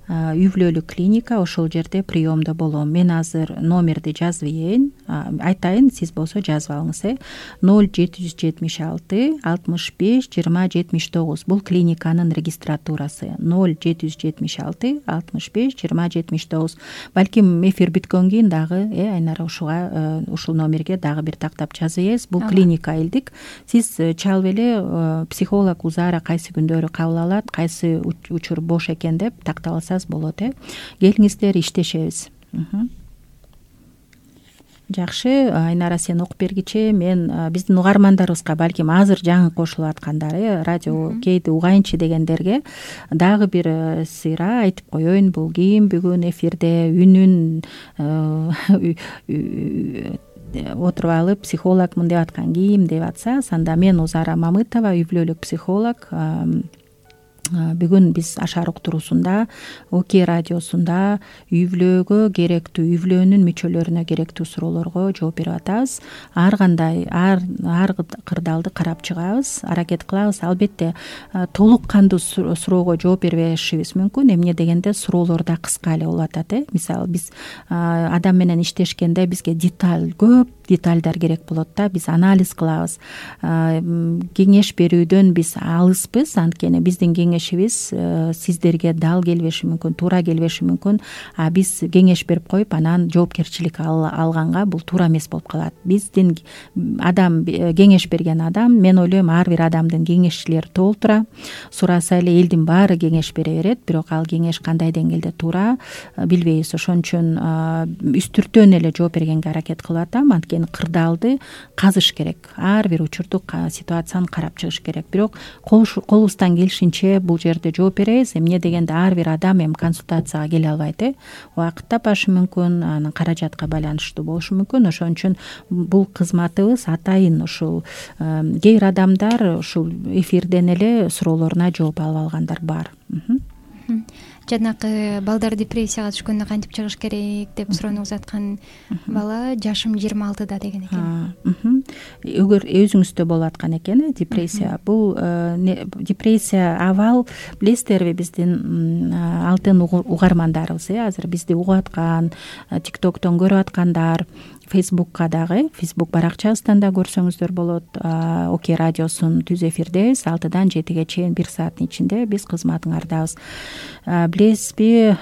Үй бүлөлүк клиника, ошол жерде приемдо болом. Мен азыр номерди жазып ийин, айтайын, сиз болсо жазып алыңыз. 0776 65 20 79. Бул клиниканын регистратурасы. 0776 65 20 79. Балким эфир бүткөндөн кийин дагы Айнара ушул номерге дагы бир тактап жазып ийсиз. Бул клиника Элдик. Сиз чалып эле психолог Узара кайсы күндөрү кабыл алат, кайсы учур бош экен деп тактап алсаңыз болот. Келиңиздер, иштешебиз. Жакшы, Айнара, сен окуп бергичи. Мен биздин угармандарыбызга, балким азыр жаңы кошулуп аткандар, радио кейди угайынчы дегендерге дагы бир сыйра айтып коеюн. Бул ким бүгүн эфирде үнүн отуруп алып психологмун деп аткан ким деп атса, анда мен Узара Мамытова, үй бүлөлүк психолог. Бүгүн биз Ашар уктуруусунда, ОК радиосунда үй бүлөгө керектүү, үй бүлөнүн мүчөлөрүнө керектүү суроолорго жооп берип атабыз. Ар кандай, ар кырдаалды карап чыгабыз, аракет кылабыз. Албетте толук кандуу суроого жооп бербешибиз мүмкүн. Эмне дегенде суроолор да кыска эле болуп атат. Мисалы, биз адам менен иштешкенде бизге көп детальдар керек болот да, биз анализ кылабыз. Кеңеш берүүдөн биз алыспыз, анткени биздин кеңешибиз сиздерге дал келбеши мүмкүн, туура келбеши мүмкүн. Биз кеңеш берип коюп, анан жоопкерчилик алганга бул туура эмес болуп калат. Биздин адам, кеңеш берген адам, мен ойлойм, ар бир адамдын кеңешчилери толтура. Сураса эле элдин баары кеңеш бере берет, бирок ал кеңеш кандай деңгээлде туура билбейбиз. Ошон үчүн үстүртөн эле жооп бергенге аракет кылып атам. Анткени кырдаалды казыш керек. Ар бир учурду, ситуацияны карап чыгыш керек. Бирок колубуздан келишинче бул жерде жооп беребиз. Эмне дегенде ар бир адам консультацияга келе албайт. Убакыт тапашы мүмкүн, анын каражатка байланыштуу болушу мүмкүн. Ошон үчүн бул кызматыбыз атайын ушул кээ бир адамдар ушул эфирден эле суроолоруна жооп алып алгандар бар. Жанакы балдар депрессияга түшкөндө кантип чыгыш керек деп суроону узаткан бала жашым 26-да деген экен. Эгер өзүңүздө болуп аткан экен депрессия, бул депрессия абал билесиздерби, биздин алтын угармандарыбыз, азыр бизди угуп аткан, TikToктон көрүп аткандар, Фейсбукка дагы, Фейсбук баракчабыздан да көрсөңүздөр болот. ОК радиосун түз эфирдебиз, 6-дан 7-ге чейин 1 сааттын ичинде биз кызматыңардабыз. Билесизби,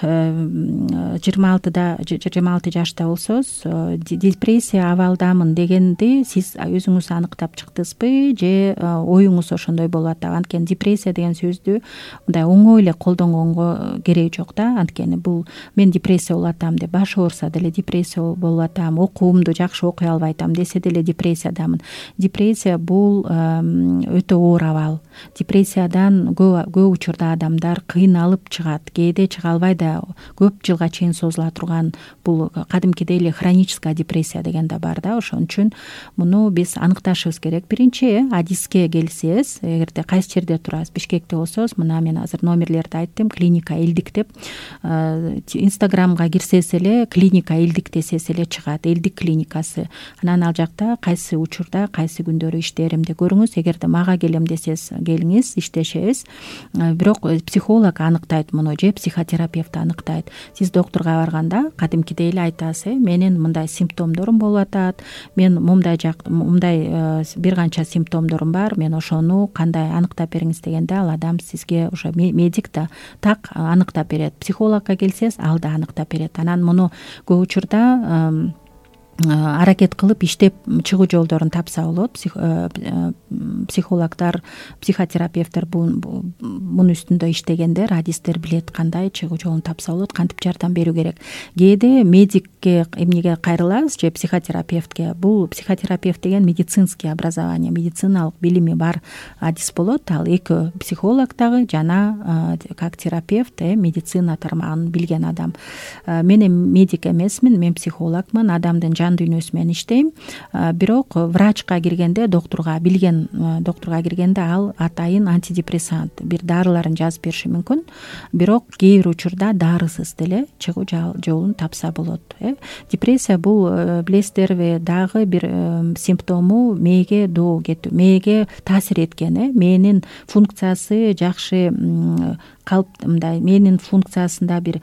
26 жашта болсоңуз, депрессия абалдамын дегенди сиз өзүңүз аныктап чыктыңызбы, же оюңуз ошондой болуп атабы? Анткени депрессия деген сөздү мындай оңой эле колдонгонго кереги жок да. Анткени бул мен депрессия болуп атам деп башы ооруса деле депрессия болуп атам, окуумду жакшы окуй албай атам десе деле депрессиядамын. Депрессия бул өтө оор абал. Депрессиядан көп учурда адамдар кыйналып чыгат, кээде чыга албай да көп жылга чейин созула турган бул кадимкидей эле хроническая депрессия деген да бар да. Ошон үчүн муну биз аныкташыбыз керек. Биринчи адиске келсеңиз, эгерде кайсы жерде турасыз, Бишкекте болсоңуз, мына мен азыр номерлерди айттым, клиника Элдик деп. Инстаграмга кирсеңиз эле клиника Элдик десеңиз эле чыгат, Элдик клиникасы. Анан ал жакта кайсы учурда, кайсы күндөрү иштээримди көрүңүз. Эгерде мага келем десеңиз, келиңиз, иштешебиз. Бирок психолог аныктайт муну, же психотерапевт аныктайт. Сиз доктурга барганда кадимкидей эле айтасыз, менин мындай симптомдорум болуп атат, мен мындай бир канча симптомдорум бар, мен ошону кандай аныктап бериңиз дегенде, ал адам сизге уже медик да так аныктап берет. Психологко келсеңиз, ал да аныктап берет. Анан муну көп учурда аракет кылып иштеп чыгуу жолдорун тапса болот. Психологдор, психотерапевттер мунун үстүндө иштегендер, адистер билет кандай чыгуу жолун тапса болот, кантип жардам берүү керек. Кээде медикке эмнеге кайрылабыз, же психотерапевтке. Бул психотерапевт деген медицинский образование, медициналык билими бар адис болот. Ал экөө психолог дагы жана как терапевт, медицина тармагын билген адам. Мен медик эмесмин, мен психологмун. Адамдын жан дүйнөсү менен иштейм. Бирок врачка киргенде, билген доктурга киргенде ал атайын антидепрессант бир дарыларын жазып бериши мүмкүн. Бирок кээ бир учурда дарысыз деле чыгуу жолун тапса болот. Депрессия бул билесиздерби дагы бир симптому мээге доо кетүү, мээге таасир эткен, мээнин функциясы жакшы мындай мээнин функциясында бир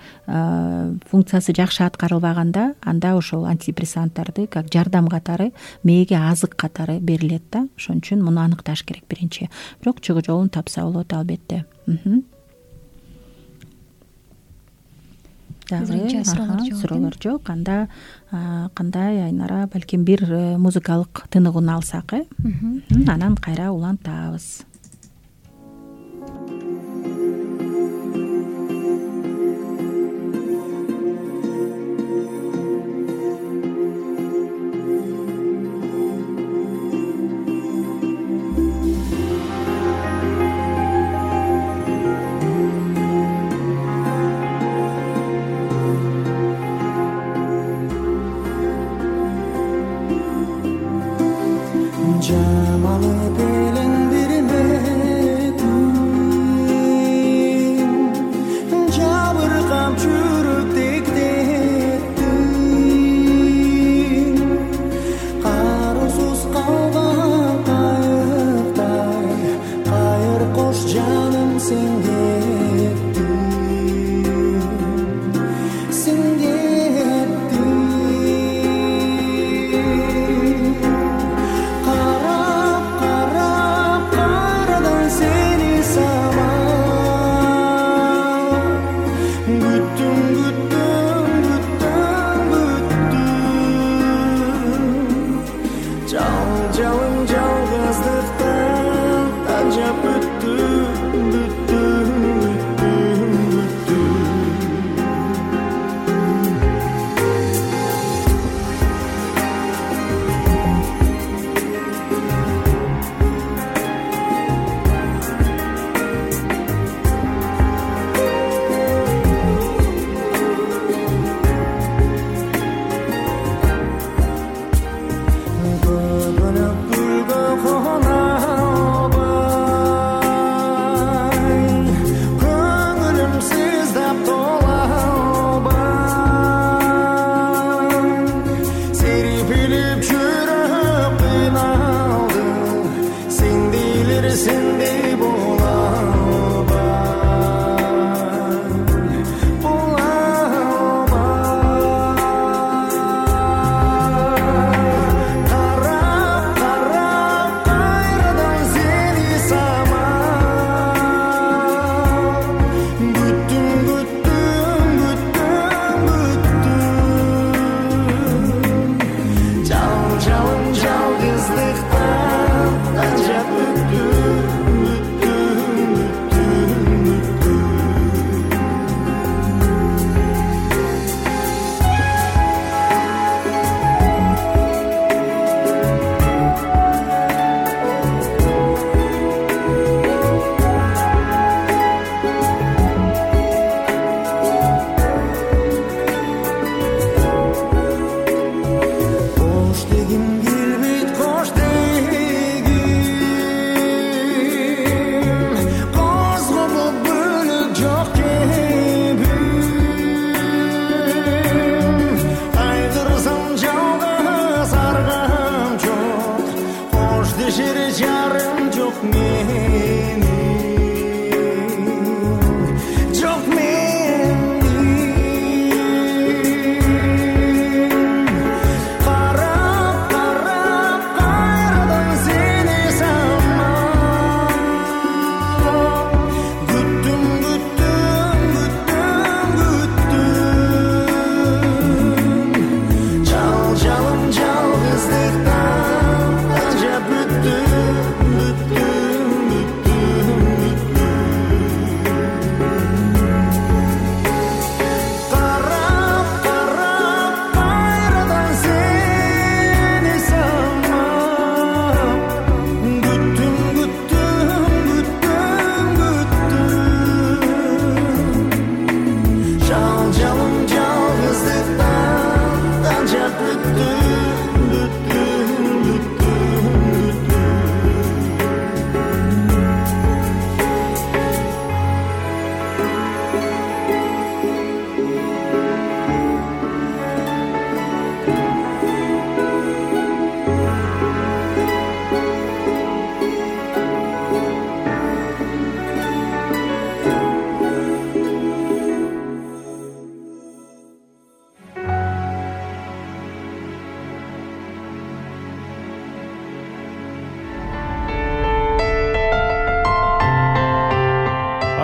функциясы жакшы аткарылбаганда, анда ошол антидепрессанттарды как жардам катары, мээге азык катары берилет да. Ошон үчүн муну аныкташ керек биринчи. Бирок чыгуу жолун тапса болот албетте. Дагы суроолор жок. Анда кандай Айнара, балким бир музыкалык тыныгын алсак, анан кайра улантабыз. Qarab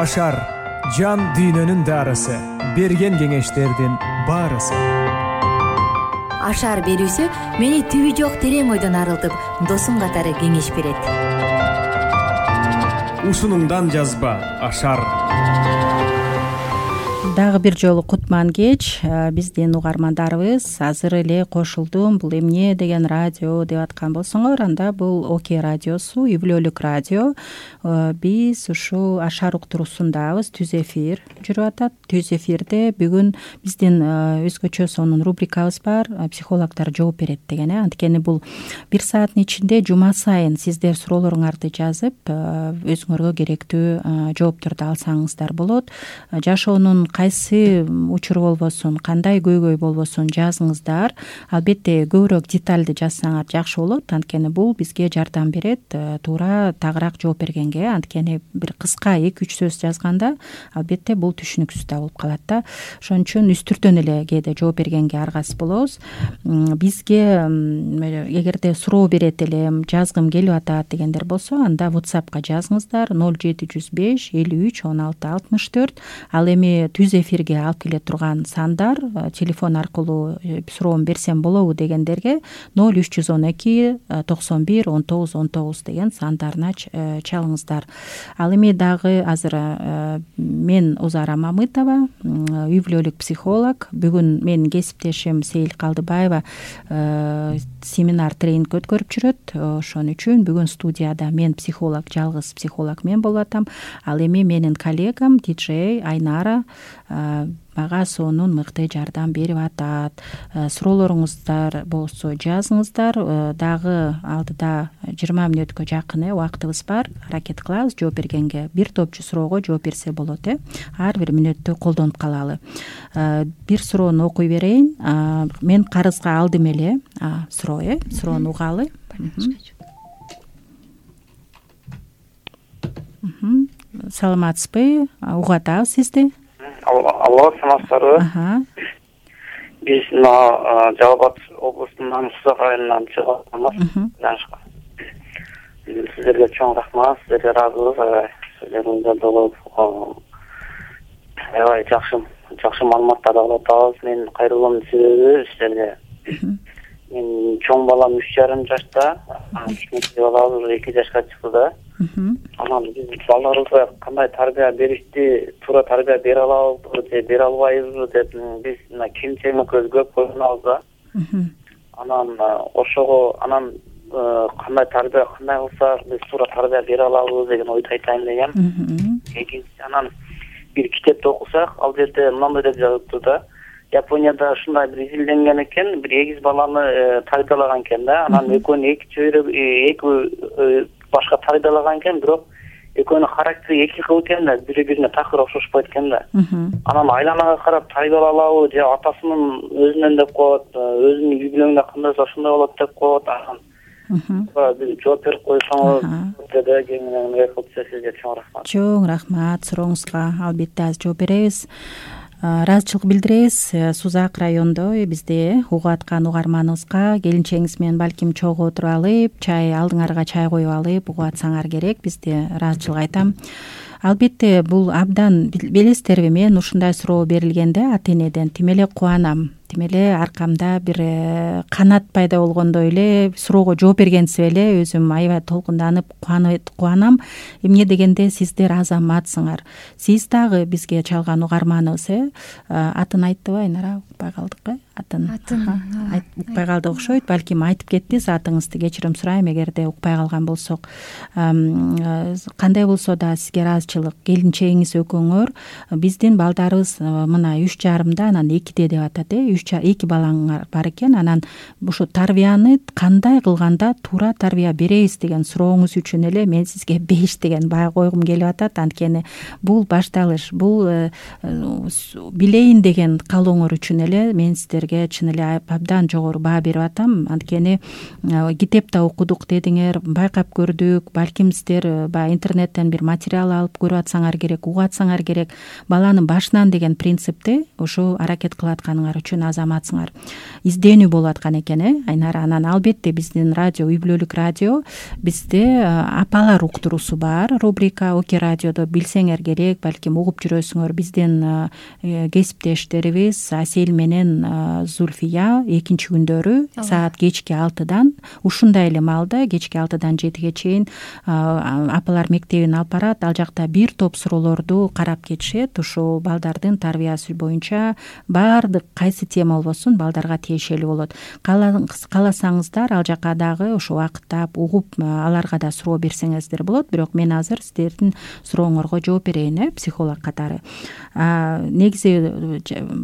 Ашар жан дүйнөнүн дарысы, берген кеңештердин баарысы. Ашар берүүсү мени түбү жок терең ойдон арылтып, досум катары кеңеш берет. Ушунуңдан жазба Ашар. Дагы бир жолу кутман кеч, биздин угармандарыбыз азыр эле кошулдум. Бул эмне деген радио деп аткан болсоңор, анда бул ОК радиосу, үй бүлөлүк радио. Биз ушу Ашар уктуруусундабыз, түз эфир жүрүп атат. Түз эфирде бүгүн биздин өзгөчө сонун рубрикабыз бар, психологдор жооп берет деген. Анткени бул 1 сааттын ичинде жума сайын сиздер суроолоруңарды жазып, өзүңөргө керектүү жоопторду алсаңыздар болот. Жашоонун кайсы учуру болбосун, кандай көйгөй болбосун жазыңыздар. Албетте көбүрөөк деталды жазсаңар жакшы болот, анткени бул бизге жардам берет туура тагыраак жооп бергенге. Анткени бир кыска 2-3 сөз жазганда албетте бул түшүнүксүз да болуп калат да. Ошон үчүн үстүртөн эле кээде жооп бергенге аргасыз болобуз. Бизге эгерде суроо берет элем, жазгым келип атат дегендер болсо, анда WhatsAppка жазыңыздар 0705 53 16 64. Ал эми түз эфирге алып келе турган сандар, телефон аркылуу суроону берсем болобу дегендерге 0312 91 19 19 деген сандарына чалыңыздар. Ал эми дагы азыр мен Узара Мамытова, үй бүлөлүк психолог. Бүгүн менин кесиптешим Сейил Калдыбаева семинар тренинг өткөрүп жүрөт. Ошон үчүн бүгүн студияда мен психолог, жалгыз психолог мен болуп атам. Ал эми менин коллегам диджей Айнара мага сонун мыкты жардам берип атат. Суроолоруңуздар болсо жазыңыздар. Дагы алдыда 20 мүнөткө жакын убактыбыз бар. Аракет кылабыз жооп бергенге. Бир топчу суроого жооп берсе болот. Ар бир мүнөттү колдонуп калалы. Бир суроону окуй берейин. Мен карызга алдым эле суроону угалы. Саламатсызбы? Угуп атабыз сизди. Алло, саламатсыздарбы? Биз Жалал Абад облусунун Сузак районунан чыгып атабыз. Сиздерге чоң рахмат, сиздерге ыраазыбыз. Сиздердин долуп аябай жакшы маалыматтар алып атабыз. Мен кайрылуумдун себеби сиздерге. Мен чоң балам 3,5 жашта, кичинекей балам 2 жашка чыкты да. Анан биз балдарыбызга кандай тарбия беришти, туура тарбия бере алабызбы же бере албайбызбы деп биз кемчилигибизди көп койгонбуз да. Анан ошого кандай тарбия кандай кылсак биз туура тарбия бере алабыз деген ойду айтайын дегем. Экинчи анан бир китепти окусак, ал жерде мындай деп жазыптыр да. Японияда ушундай бир изилденген экен, бир эгиз баланы тарбиялаган экен да. Анан экөөнү эки башка тарбиялаган экен, бирок экөөнүн характери эки кыл экен да, бири-бирине такыр окшошпойт экен да. Анан айланага карап тарбиялай алабы же атасынын өзүнөн деп коет, өзүнүн үй бүлөңдө кандай болсо ошондой болот деп коет. Анан биз жооп берип койсоңуз деди, кеңинен кылып сизге чоң рахмат. Чоң рахмат сурооңузга. Албетте азыр жооп беребиз. Ыраазычылык билдиребиз. Сузак райондо бизде угуп аткан угарманыбызга келинчегиңиз менен балким чогуу отуруп алып, чай алдыңарга чай коюп алып угуп атсаңар керек. Бизде ыраазычылык айтам. Албетте бул абдан билесиздерби, мен ушундай суроо берилгенде ата энеден тим эле кубанам. Тим эле аркамда бир канат пайда болгондой эле суроого жооп бергенсип эле өзүм аябай толкунданып кубанам. Эмне дегенде сиздер азаматсыңар. Сиз дагы бизге чалган угарманыбыз, атын айттыбы Айнара? Укпай калдык, атын укпай калдык окшойт. Балким айтып кетпиз атыңызды, кечирим сурайм эгерде укпай калган болсок. Кандай болсо да сизге ыраазычылык. Келинчегиңиз экөөңөр биздин балдарыбыз мына 3,5 анан 2 деп атат. 2 балаңар бар экен. Анан ушу тарбияны кандай кылганда туура тарбия беребиз деген сурооңуз үчүн эле мен сизге 5 деген баа койгум келип атат. Анткени бул башталыш, бул билейин деген каалооңор үчүн эле мен сиздерге чын эле абдан жогору баа берип атам. Анткени китепте окудук дедиңер, байкап көрдүк. Балким сиздер баягы интернеттен бир материал алып көрүп атсаңар керек, угуп атсаңар керек. Баланын башынан деген принципти ушу аракет кылып атканыңар үчүн азаматсыңар. Изденүү болуп аткан экен, Айнара. Анан албетте биздин радио, үй бүлөлүк радио, бизде апалар уктуруусу бар рубрика Оке радиодо, билсеңер керек, балким угуп жүрөсүңөр. Биздин кесиптештерибиз Асель менен Зульфия экинчи күндөрү саат кечки 6-дан ушундай эле маалда кечки 6-дан 7-ге чейин апалар мектебин алып барат. Ал жакта бир топ суроолорду карап кетишет. Ушул балдардын тарбиясы боюнча баардык кайсы тема болбосун балдарга тиешелүү болот. Кааласаңыздар ал жака дагы ошо убакыттап угуп аларга да суроо берсеңиздер болот. Бирок мен азыр сиздердин сурооңорго жооп берейин, психолог катары. Негизи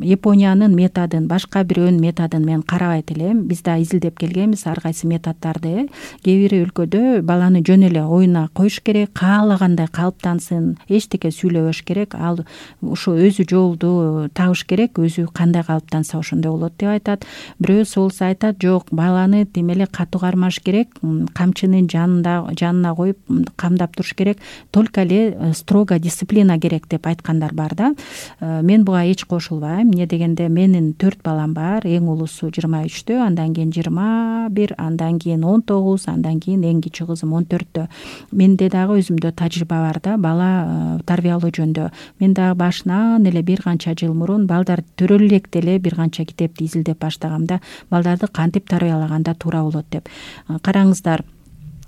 Япониянын методун, башка бирөөнүн методун мен карабайт элем. Биз да изилдеп келгенбиз ар кайсы методдорду. Кээ бир өлкөдө баланы жөн эле оюна коюш керек, каалагандай калыптансын, эчтеке сүйлөбөш керек. Ал ошо өзү жолду табыш керек, өзү кандай калыптанса ошондой болот деп айтат. Бирөөсү болсо айтат, жок, баланы тим эле катуу кармаш керек, камчынын жанына коюп камдап туруш керек, только эле строго дисциплина керек деп айткандар бар да. Мен буга эч кошулбайм. Эмне дегенде менин 4 балам бар. Эң улусу 23-тө, андан кийин 21, андан кийин 19, андан кийин эң кичи кызым 14-тө. Менде дагы өзүмдө тажрыйба бар да, бала тарбиялоо жөнүндө. Мен дагы башынан эле бир канча жыл мурун балдар төрөлө электе эле бир канча китепти изилдеп баштагам да, балдарды кантип тарбиялаганда туура болот деп. Караңыздар,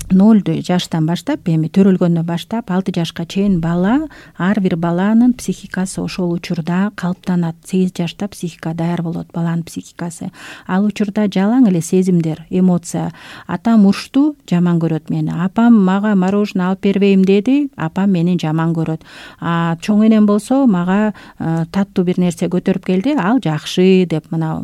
0 жаштан баштап, эми төрөлгөндөн баштап 6 жашка чейин бала, ар бир баланын психикасы ошол учурда калыптанат. 8 жашта психика даяр болот, баланын психикасы. Ал учурда жалаң эле сезимдер, эмоция. Атам урушту, жаман көрөт мени. Апам мага мороженое алып бербейм деди, апам мени жаман көрөт. Чоң энем болсо мага таттуу бир нерсе көтөрүп келди, ал жакшы деп. Мына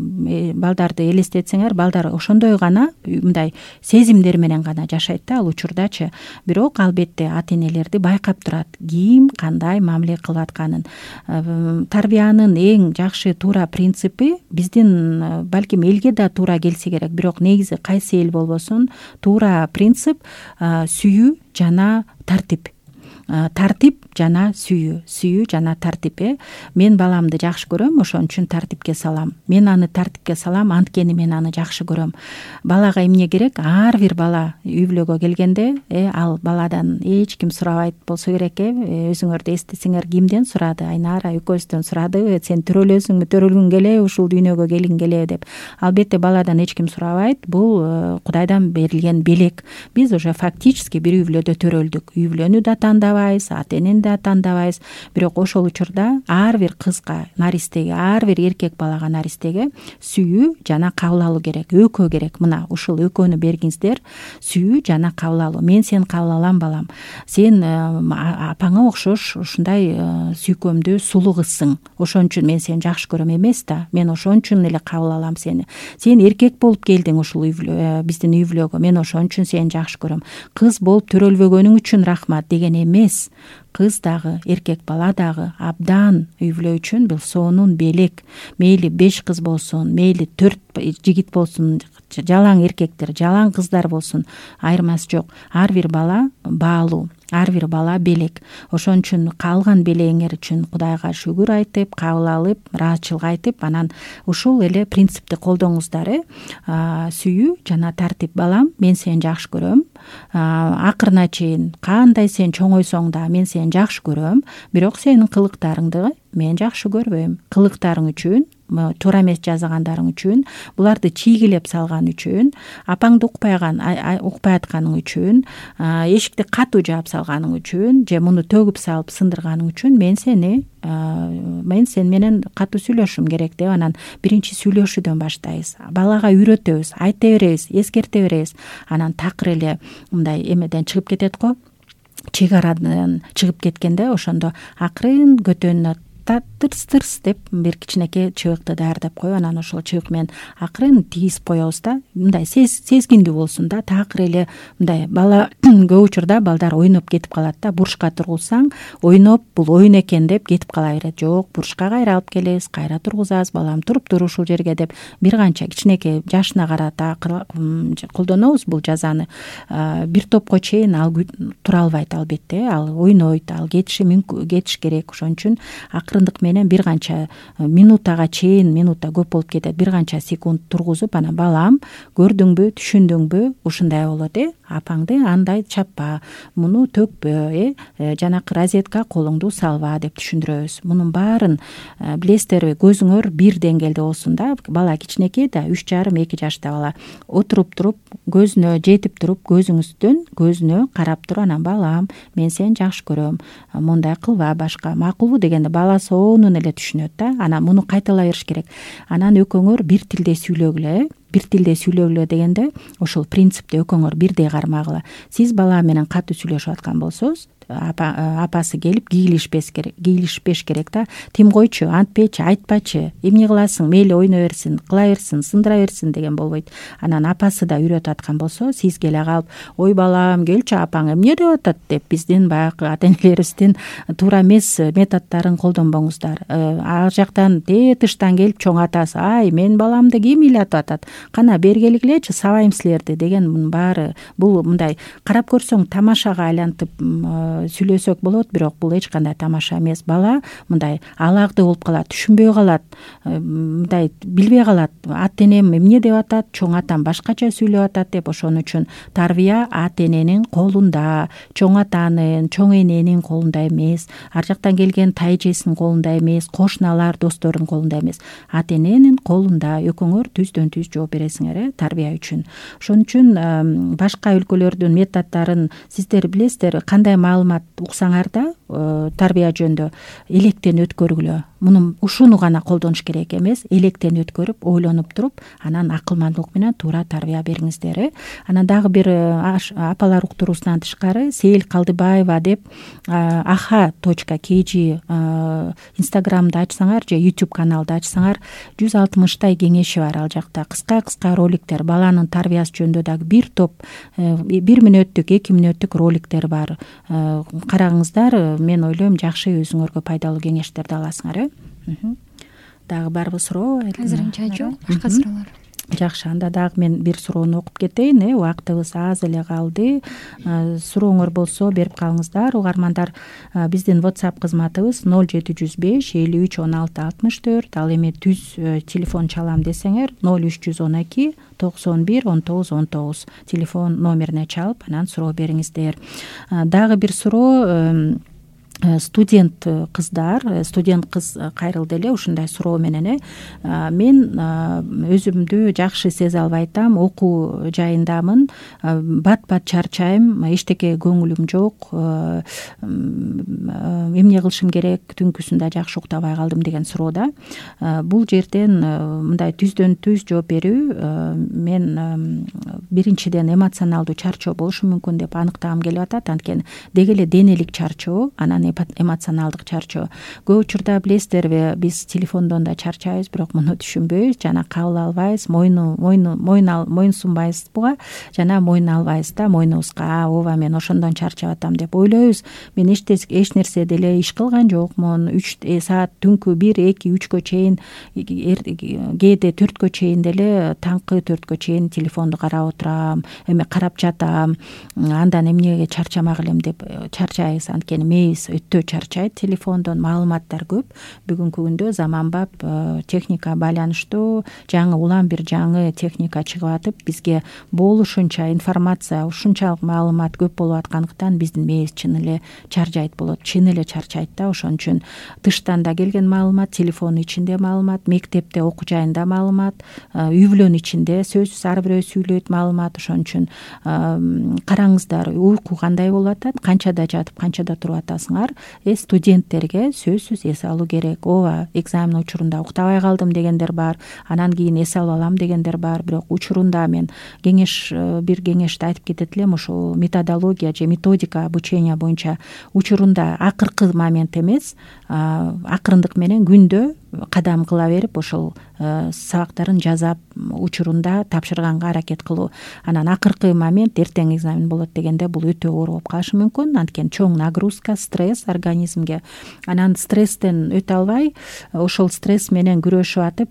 балдарды элестетсеңер, балдар ошондой гана мындай сезимдер менен гана жашайт ал учурдачы. Бирок албетте ата-энелерди байкап турат, ким кандай мамиле кылып атканын. Тарбиянын эң жакшы туура принципи биздин балким элге да туура келсе керек, бирок негизи кайсы эл болбосун, туура принцип сүйүү жана тартип. Тартип жана сүйүү жана тартип. Мен баламды жакшы көрөм, ошон үчүн тартипке салам. Мен аны тартипке салам, анткени мен аны жакшы көрөм. Балага эмне керек? Ар бир бала үй бүлөгө келгенде, ал баладан эч ким сурабайт болсо керек. Өзүңөрдү эстесеңер, кимден сурады? Айнара экөөбүздөн сурадыбы? Сен төрөлөсүңбү, төрөлгүң келеби, ушул дүйнөгө келгиң келеби деп. Албетте баладан эч ким сурабайт. Бул Кудайдан берилген белек. Биз уже фактически бир үй бүлөдө төрөлдүк. Үй бүлөнү да тандабайбыз, ата-энени да тандабайбыз. Бирок ошол учурда ар бир кызга, наристеге, ар бир эркек балага, наристеге сүйүү жана кабыл алуу керек, өкөө керек. Мына ушул өкөнү бергиңиздер. Сүйүү жана кабыл алуу. Мен сени кабыл алам, балам. Сен апаңа окшош ушундай сүйкөмдүү сулуу кызсың. Ошон үчүн мен сени жакшы көрөм эмес да. Мен ошон үчүн эле кабыл алам сени. Сен эркек болуп келдиң ушул биздин үй бүлөгө. Мен ошон үчүн сени жакшы көрөм. Кыз болуп төрөлбөгөнүң үчүн рахмат деген эмес. Кыз дагы, эркек бала дагы абдан үй бүлө үчүн бул сонун белек. Мейли 5 кыз болсун, мейли 4 жигит болсун, жалаң эркектер, жалаң кыздар болсун, айырмасы жок. Ар бир бала баалуу, ар бир бала белек. Ошон үчүн калган белегиңер үчүн Кудайга шүгүр айтып, кабыл алып, ыраазычылык айтып, анан ушул эле принципти колдоңуздар. Сүйүү жана тартип. Балам, мен сени жакшы көрөм. Акырына чейин кандай сен чоңойсоң да мен сени жакшы көрөм, бирок сенин кылыктарыңды мен жакшы көрбөйм. Кылыктарың үчүн, туура эмес жазагандарың үчүн, буларды чийгилеп салган үчүн, апаңды укпай атканың үчүн, эшикти катуу жаап салганың үчүн, же муну төгүп салып сындырганың үчүн мен сени менен катуу сүйлөшүм керек деп анан биринчи сүйлөшүүдөн баштайбыз. Балага үйрөтөбүз, айта беребиз, эскерте беребиз. Анан такыр эле мындай эмеден чыгып кетет го. Чек арадан чыгып кеткенде ошондо акырын көтөнүнө тырс деп бир кичинекей чыбыкты даярдап коюп, анан ошол чыбык менен акырын тийип коебуз да. Мындай сезгиндүү болсун да. Такыр эле мындай бала көп учурда балдар ойноп кетип калат да. Бурушка тургузсаң, ойноп бул ойун экен деп кетип кала берет. Жок, бурушка кайра алып келебиз, кайра тургузабыз, балам туруптур ушул жерге деп бир канча кичинекей жашына карата колдонобуз бул жазаны. Бир топко чейин ал тура албайт албетте. Ал ойнойт, ал кетиш керек. Ошон үчүн акырындык менен бир канча минутага чейин, минутта көп болуп кетет, бир канча секунд тургузуп анан балам көрдүңбү, түшүндүңбү, ушундай болот, апаңды андай чаппа, муну төкпө, жанакы розетка колуңду салба деп түшүндүрөбүз. Мунун баарын билесиздерби, көзүңөр бир деңгээлде болсун да. Бала кичинекей да, 3,5-2 жашта бала отуруп туруп, көзүнө жетип туруп, көзүңүздөн көзүнө карап туруп, анан балам мен сени жакшы көрөм, мындай кылба, башка макулбу дегенде бала сонун эле түшүнөт да. Анан муну кайталай бериш керек. Анан экөөңөр бир тилде сүйлөгүлө, бир тилде сүйлөгүлө дегенде ошол принципте экөөңөр бирдей кармагыла. Сиз бала менен катуу сүйлөшүп аткан болсоңуз, апасы келип кийлишпеш керек да. Тим койчу, антпечи, айтпачы, эмне кыласың, мейли ойной берсин, кыла берсин, сындыра берсин деген болбойт. Анан апасы да үйрөтүп аткан болсо, сиз келе калып, ой балам келчи, апаң эмне деп атат деп биздин баягы ата-энелерибиздин туура эмес методдорун колдонбоңуздар. Ар жактан тыштан келип чоң атасы, ай мен баламды ким ыйлатып атат, кана бери келгилечи, сабайм силерди деген, мунун баары бул мындай карап көрсөң тамашага айлантып сүйлөсөк болот, бирок бул эч кандай тамаша эмес. Бала мындай алагды болуп калат, түшүнбөй калат, мындай билбей калат, ата энем эмне деп атат, чоң атам башкача сүйлөп атат деп. Ошон үчүн тарбия ата эненин колунда, чоң атанын, чоң эненин колунда эмес, ар жактан келген тайжесинин колунда эмес, кошуналар, достордун колунда эмес, ата эненин колунда. Экөөңөр түздөн түз жооп бересиңер тарбия үчүн. Ошон үчүн башка өлкөлөрдүн методдорун сиздер билесиздер, кандай маалымат уксаңар да тарбия жөнүндө электен өткөргүлө. Муну ушуну гана колдонуш керек эмес, электен өткөрүп, ойлонуп туруп, анан акылмандуулук менен туура тарбия бериңиздер. Анан дагы бир апалар уктуруусунан тышкары Сейил Калдыбаева деп aha.kg инстаграмды ачсаңар же YouTube каналды ачсаңар 160 кеңеши бар. Ал жакта кыска роликтер, баланын тарбиясы жөнүндө дагы бир топ 1 мүнөттүк, 2 мүнөттүк роликтер бар. Караңыздар, мен ойлойм жакшы өзүңөргө пайдалуу кеңештерди аласыңар. Дагы барбы суроо? Азырынча жок, башка суроолор. Жакшы, анда дагы мен бир суроону окуп кетейин. Убактыбыз аз эле калды. Сурооңор болсо берип калыңыздар. Угармандар, биздин WhatsApp кызматыбыз 0705 53 16 64. Ал эми түз телефон чалам десеңер 0312 91 19 19 телефон номерине чалып, анан суроо бериңиздер. Дагы бир суроо, студент кыз кайрылды эле ушундай суроо менен. Мен өзүмдү жакшы сезе албай атам, окуу жайындамын, бат чарчайм, эчтеке көңүлүм жок, эмне кылышым керек, түнкүсүндө жакшы уктабай калдым деген суроода. Бул жерден мындай түздөн түз жооп берүү, мен биринчиден эмоционалдуу чарчоо болушу мүмкүн деп аныктагым келип атат. Анткени деги эле денелик чарчоо, анан эмоционалдык чарчоо. Көп учурда билесиздерби, биз телефондон да чарчайбыз, бирок муну түшүнбөйбүз, жана кабыл албайбыз, мойнсунбайбызбы, жана мойын албайбыз да мойнубузга. Ооба, мен ошондон чарчап атам деп ойлойбуз. Мен эч нерсе деле иш кылган жокмун. 3 саат түнкү 1, 2, 3кө чейин, кээде 4кө чейин деле, таңкы 4кө чейин телефонду карап отурам, карап жатам. Андан эмнеге чарчамак элем деп чарчайбыз. Анткени мээбиз өтө чарчайт телефондон, маалыматтар көп. Бүгүнкү күндө заманбап техника байланыштуу, улам бир жаңы техника чыгып атып, бизге болушунча информация, ушунчалык маалымат көп болуп аткандыктан биздин мээбиз чын эле чарчайт да. Ошон үчүн тыштан да келген маалымат, телефондун ичинде маалымат, мектепте, окуу жайында маалымат, үй бүлөнүн ичинде сөзсүз ар бирөө сүйлөйт маалымат. Ошон үчүн караңыздар, уйку кандай болуп атат, канчада жатып, канчада туруп атасыңар. Студенттерге сөзсүз эс алуу керек. Ооба, экзамен учурунда уктабай калдым дегендер бар, анан кийин эс алып алам дегендер бар. Бирок учурунда мен бир кеңешти айтып кетет элем, ошол методология же методика обучения боюнча учурунда акыркы момент эмес, акырындык менен күндө кадам кыла берип ошол сабактарын жасап учурунда тапшырганга аракет кылуу. Анан акыркы момент эртең экзамен болот дегенде бул өтө оор болуп калышы мүмкүн. Анткени чоң нагрузка, стресс организмге. Анан стресстен өтө албай ошол стресс менен күрөшүп атып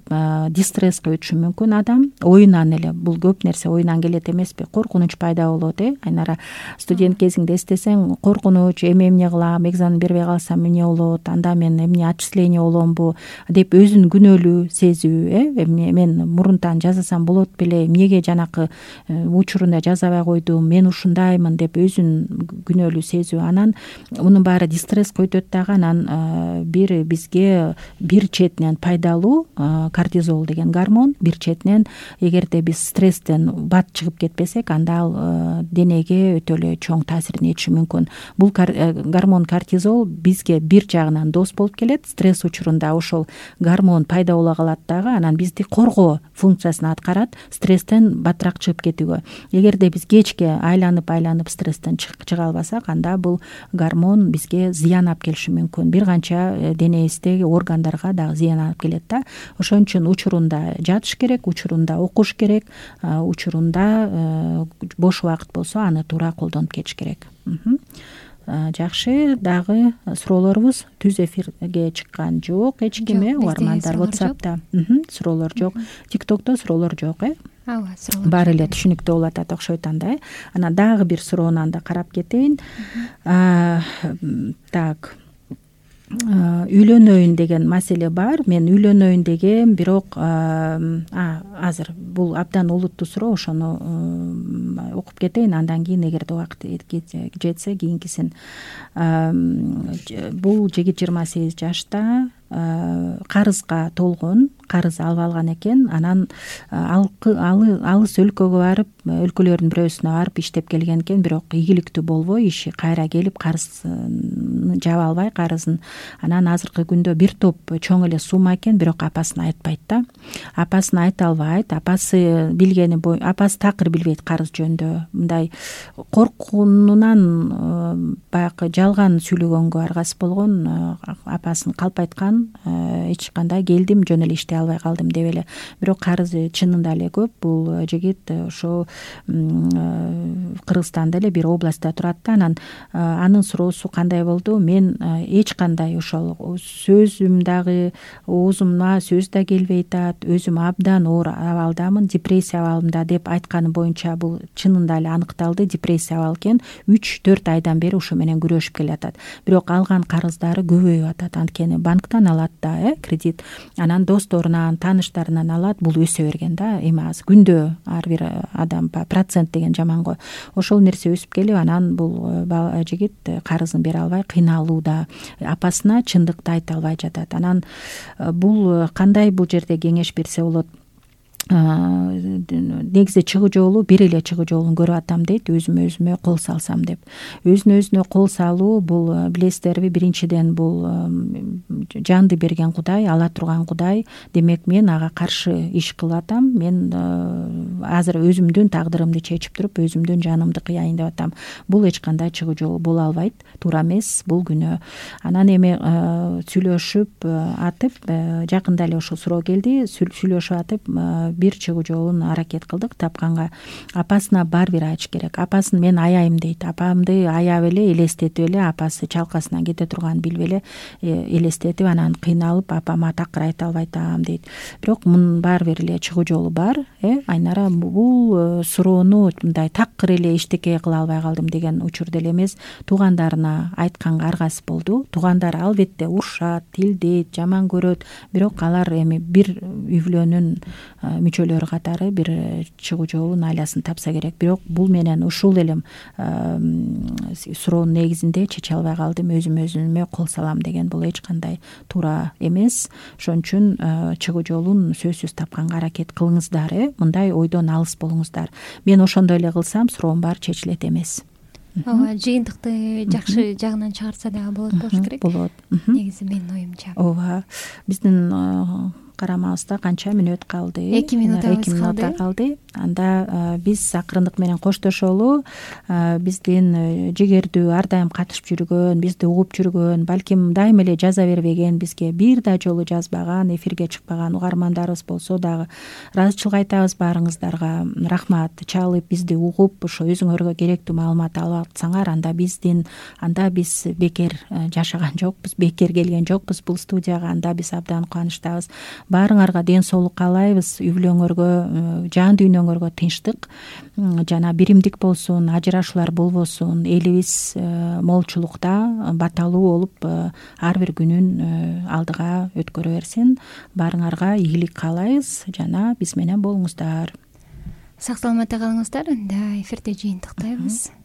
дистресска өтүшү мүмкүн адам. Оюнан эле бул көп нерсе оюнан келет эмеспи? Коркунуч пайда болот. Айнара студент кезиңде эстесең, коркунуч, эмне кылам, экзамен бербей калсам эмне болот, анда мен эмне отчисление боломбу деп өзүн күнөөлүү сезүү. Мен мурунтан жасасам болот беле, эмнеге жанакы учурунда жасабай койдум, мен ушундаймын деп өзүн күнөөлүү сезүү. Анан мунун баары дистресска өтөт дагы. Анан бизге бир четинен пайдалуу кортизол деген гормон, бир четинен эгерде биз стресстен бат чыгып кетпесек, анда ал денеге өтө эле чоң таасирин этиши мүмкүн. Бул гормон кортизол бизге бир жагынан дос болуп келет. Стресс учурунда ошол гормон пайда боло калат дагы, анан бизди коргоо функциясын аткарат, стресстен баттыраак чыгып кетүүгө. Эгерде биз кечке айланып стресстен чыга албасак, анда бул гормон бизге зыян алып келиши мүмкүн. Бир канча денебиздеги органдарга дагы зыян алып келет да. Ошон үчүн учурунда жатыш керек, учурунда окуш керек, учурунда бош убакыт болсо аны туура колдонуп кетиш керек. Жакшы, дагы суроолорубуз түз эфирге чыккан жок эч ким. Угармандар WhatsApp'та суроолор жок, TikTok'то суроолор жок. Ооба, суроолор баары эле түшүнүктүү болуп атат окшойт анда. Анан дагы бир суроону анда карап кетейин. Так, үйлөнөйүн деген маселе бар. Мен үйлөнөйүн дегем, бирок азыр бул абдан олуттуу суроо, ошону окуп кетейин, андан кийин эгерде убакыт жетсе кийинкисин. Бул жигит 28 жашта, карызга толгон, карыз алып алган экен. Анан алыс өлкөгө барып, өлкөлөрдүн бирөөсүнө барып иштеп келген экен, бирок ийгиликтүү болбой иши кайра келип карызын жаба албай карызын. Анан азыркы күндө бир топ чоң эле сумма экен, бирок апасына айтпайт да. Апасына айта албайт. Апасы билгени апасы такыр билбейт карыз жөнүндө. Мындай коркуунан баягы жалган сүйлөгөнгө аргасыз болгон, апасын калп айткан, эч кандай келдим, жөн эле иштей албай калдым деп эле. Бирок карызы чынында эле көп. Бул жигит ошо Кыргызстанда эле бир областта турат да. Анан анын суроосу кандай болду? Мен эч кандай ошол сөзүм дагы, оозумна сөз да келбей атат, өзүм абдан оор абалдамын, депрессия абалында деп айтканы боюнча бул чынында эле аныкталды. Депрессия абал экен. 3-4 айдан бери ошо менен күрөшүп келатат. Бирок алган карыздары көбөйүп атат. Анткени банктан алат да, кредит. Анан досторунан, тааныштарынан алат. Бул өсө берген да. Эми азыр күндө ар бир адам процент деген жаман го. Ошол нерсе өсүп келип, анан бул жигит карызын бере албай кыйналууда. Апасына чындыкты айта албай жатат. Анан бул кандай бул жерде кеңеш берсе болот? Негизи чыгуу жолу, бир эле чыгуу жолун көрүп атам дейт, өзүмө кол салсам деп. Өзүнө кол салуу бул, билесиздерби, биринчиден бул жанды берген Кудай, ала турган Кудай. Демек мен ага каршы иш кылып атам. Мен азыр өзүмдүн тагдырымды чечип туруп, өзүмдүн жанымды кыяйын деп атам. Бул эч кандай чыгуу жолу боло албайт, туура эмес, бул күнөө. Анан эми сүйлөшүп атып, жакында эле ошол суроо келди, сүйлөшүп атып бир чыгуу жолун аракет кылдык тапканга. Апасына бир айтыш керек. Апасын мен аяйм дейт. Апамды аяп эле, элестетип эле, апасы чалкасынан кете турганын билип эле элестетип, анан кыйналып, апама такыр айта албай атам дейт. Бирок мунун бир эле чыгуу жолу бар. Айнара бул суроону мындай такыр эле эчтеке кыла албай калдым деген учурда эле эмес, туугандарына айтканга аргасыз болду. Туугандары албетте урушат, тилдейт, жаман көрөт, бирок алар эми бир үй бүлөнүн мүчөлөрү катары бир чыгуу жолун, айласын тапса керек. Бирок бул менен ушул эле суроонун негизинде чече албай калдым, өзүмө кол салам деген бул эч кандай туура эмес. Ошон үчүн чыгуу жолун сөзсүз тапканга аракет кылыңыздар, мындай ойдон алыс болуңуздар. Мен ошондой эле кылсам суроом баары чечилет эмес. Ооба, жыйынтыкты жакшы жагынан чыгарса дагы болот болуш керек. Болот. Негизи менин оюмча. Ооба, биздин карамабыз да канча мүнөт калды. 2 минут калды. Анда биз акырындык менен коштошолу. Биздин жигердүү ар дайым катышып жүргөн, бизди угуп жүргөн, балким дайым эле жаза бербеген, бизге бир да жолу жазбаган, эфирге чыкпаган угармандарыбыз болсо дагы ыраазычылык айтабыз баарыңыздарга. Рахмат. Чалып бизди угуп, ошо өзүңөргө керектүү маалымат алып атсаңар, анда биз бекер жашаган жокпуз, бекер келген жокпуз бул студияга. Анда биз абдан кубанычтабыз. Баарыңарга ден соолук каалайбыз. Үй бүлөңөргө, жан дүйнөңөргө тынчтык жана биримдик болсун, ажырашуулар болбосун. Элибиз молчулукта, батталуу болуп ар бир күнүн алдыга өткөрө берсин. Баарыңарга ийгилик каалайбыз жана биз менен болуңуздар. Сак саламатта калыңыздар. Анда эфирде жыйынтыктайбыз.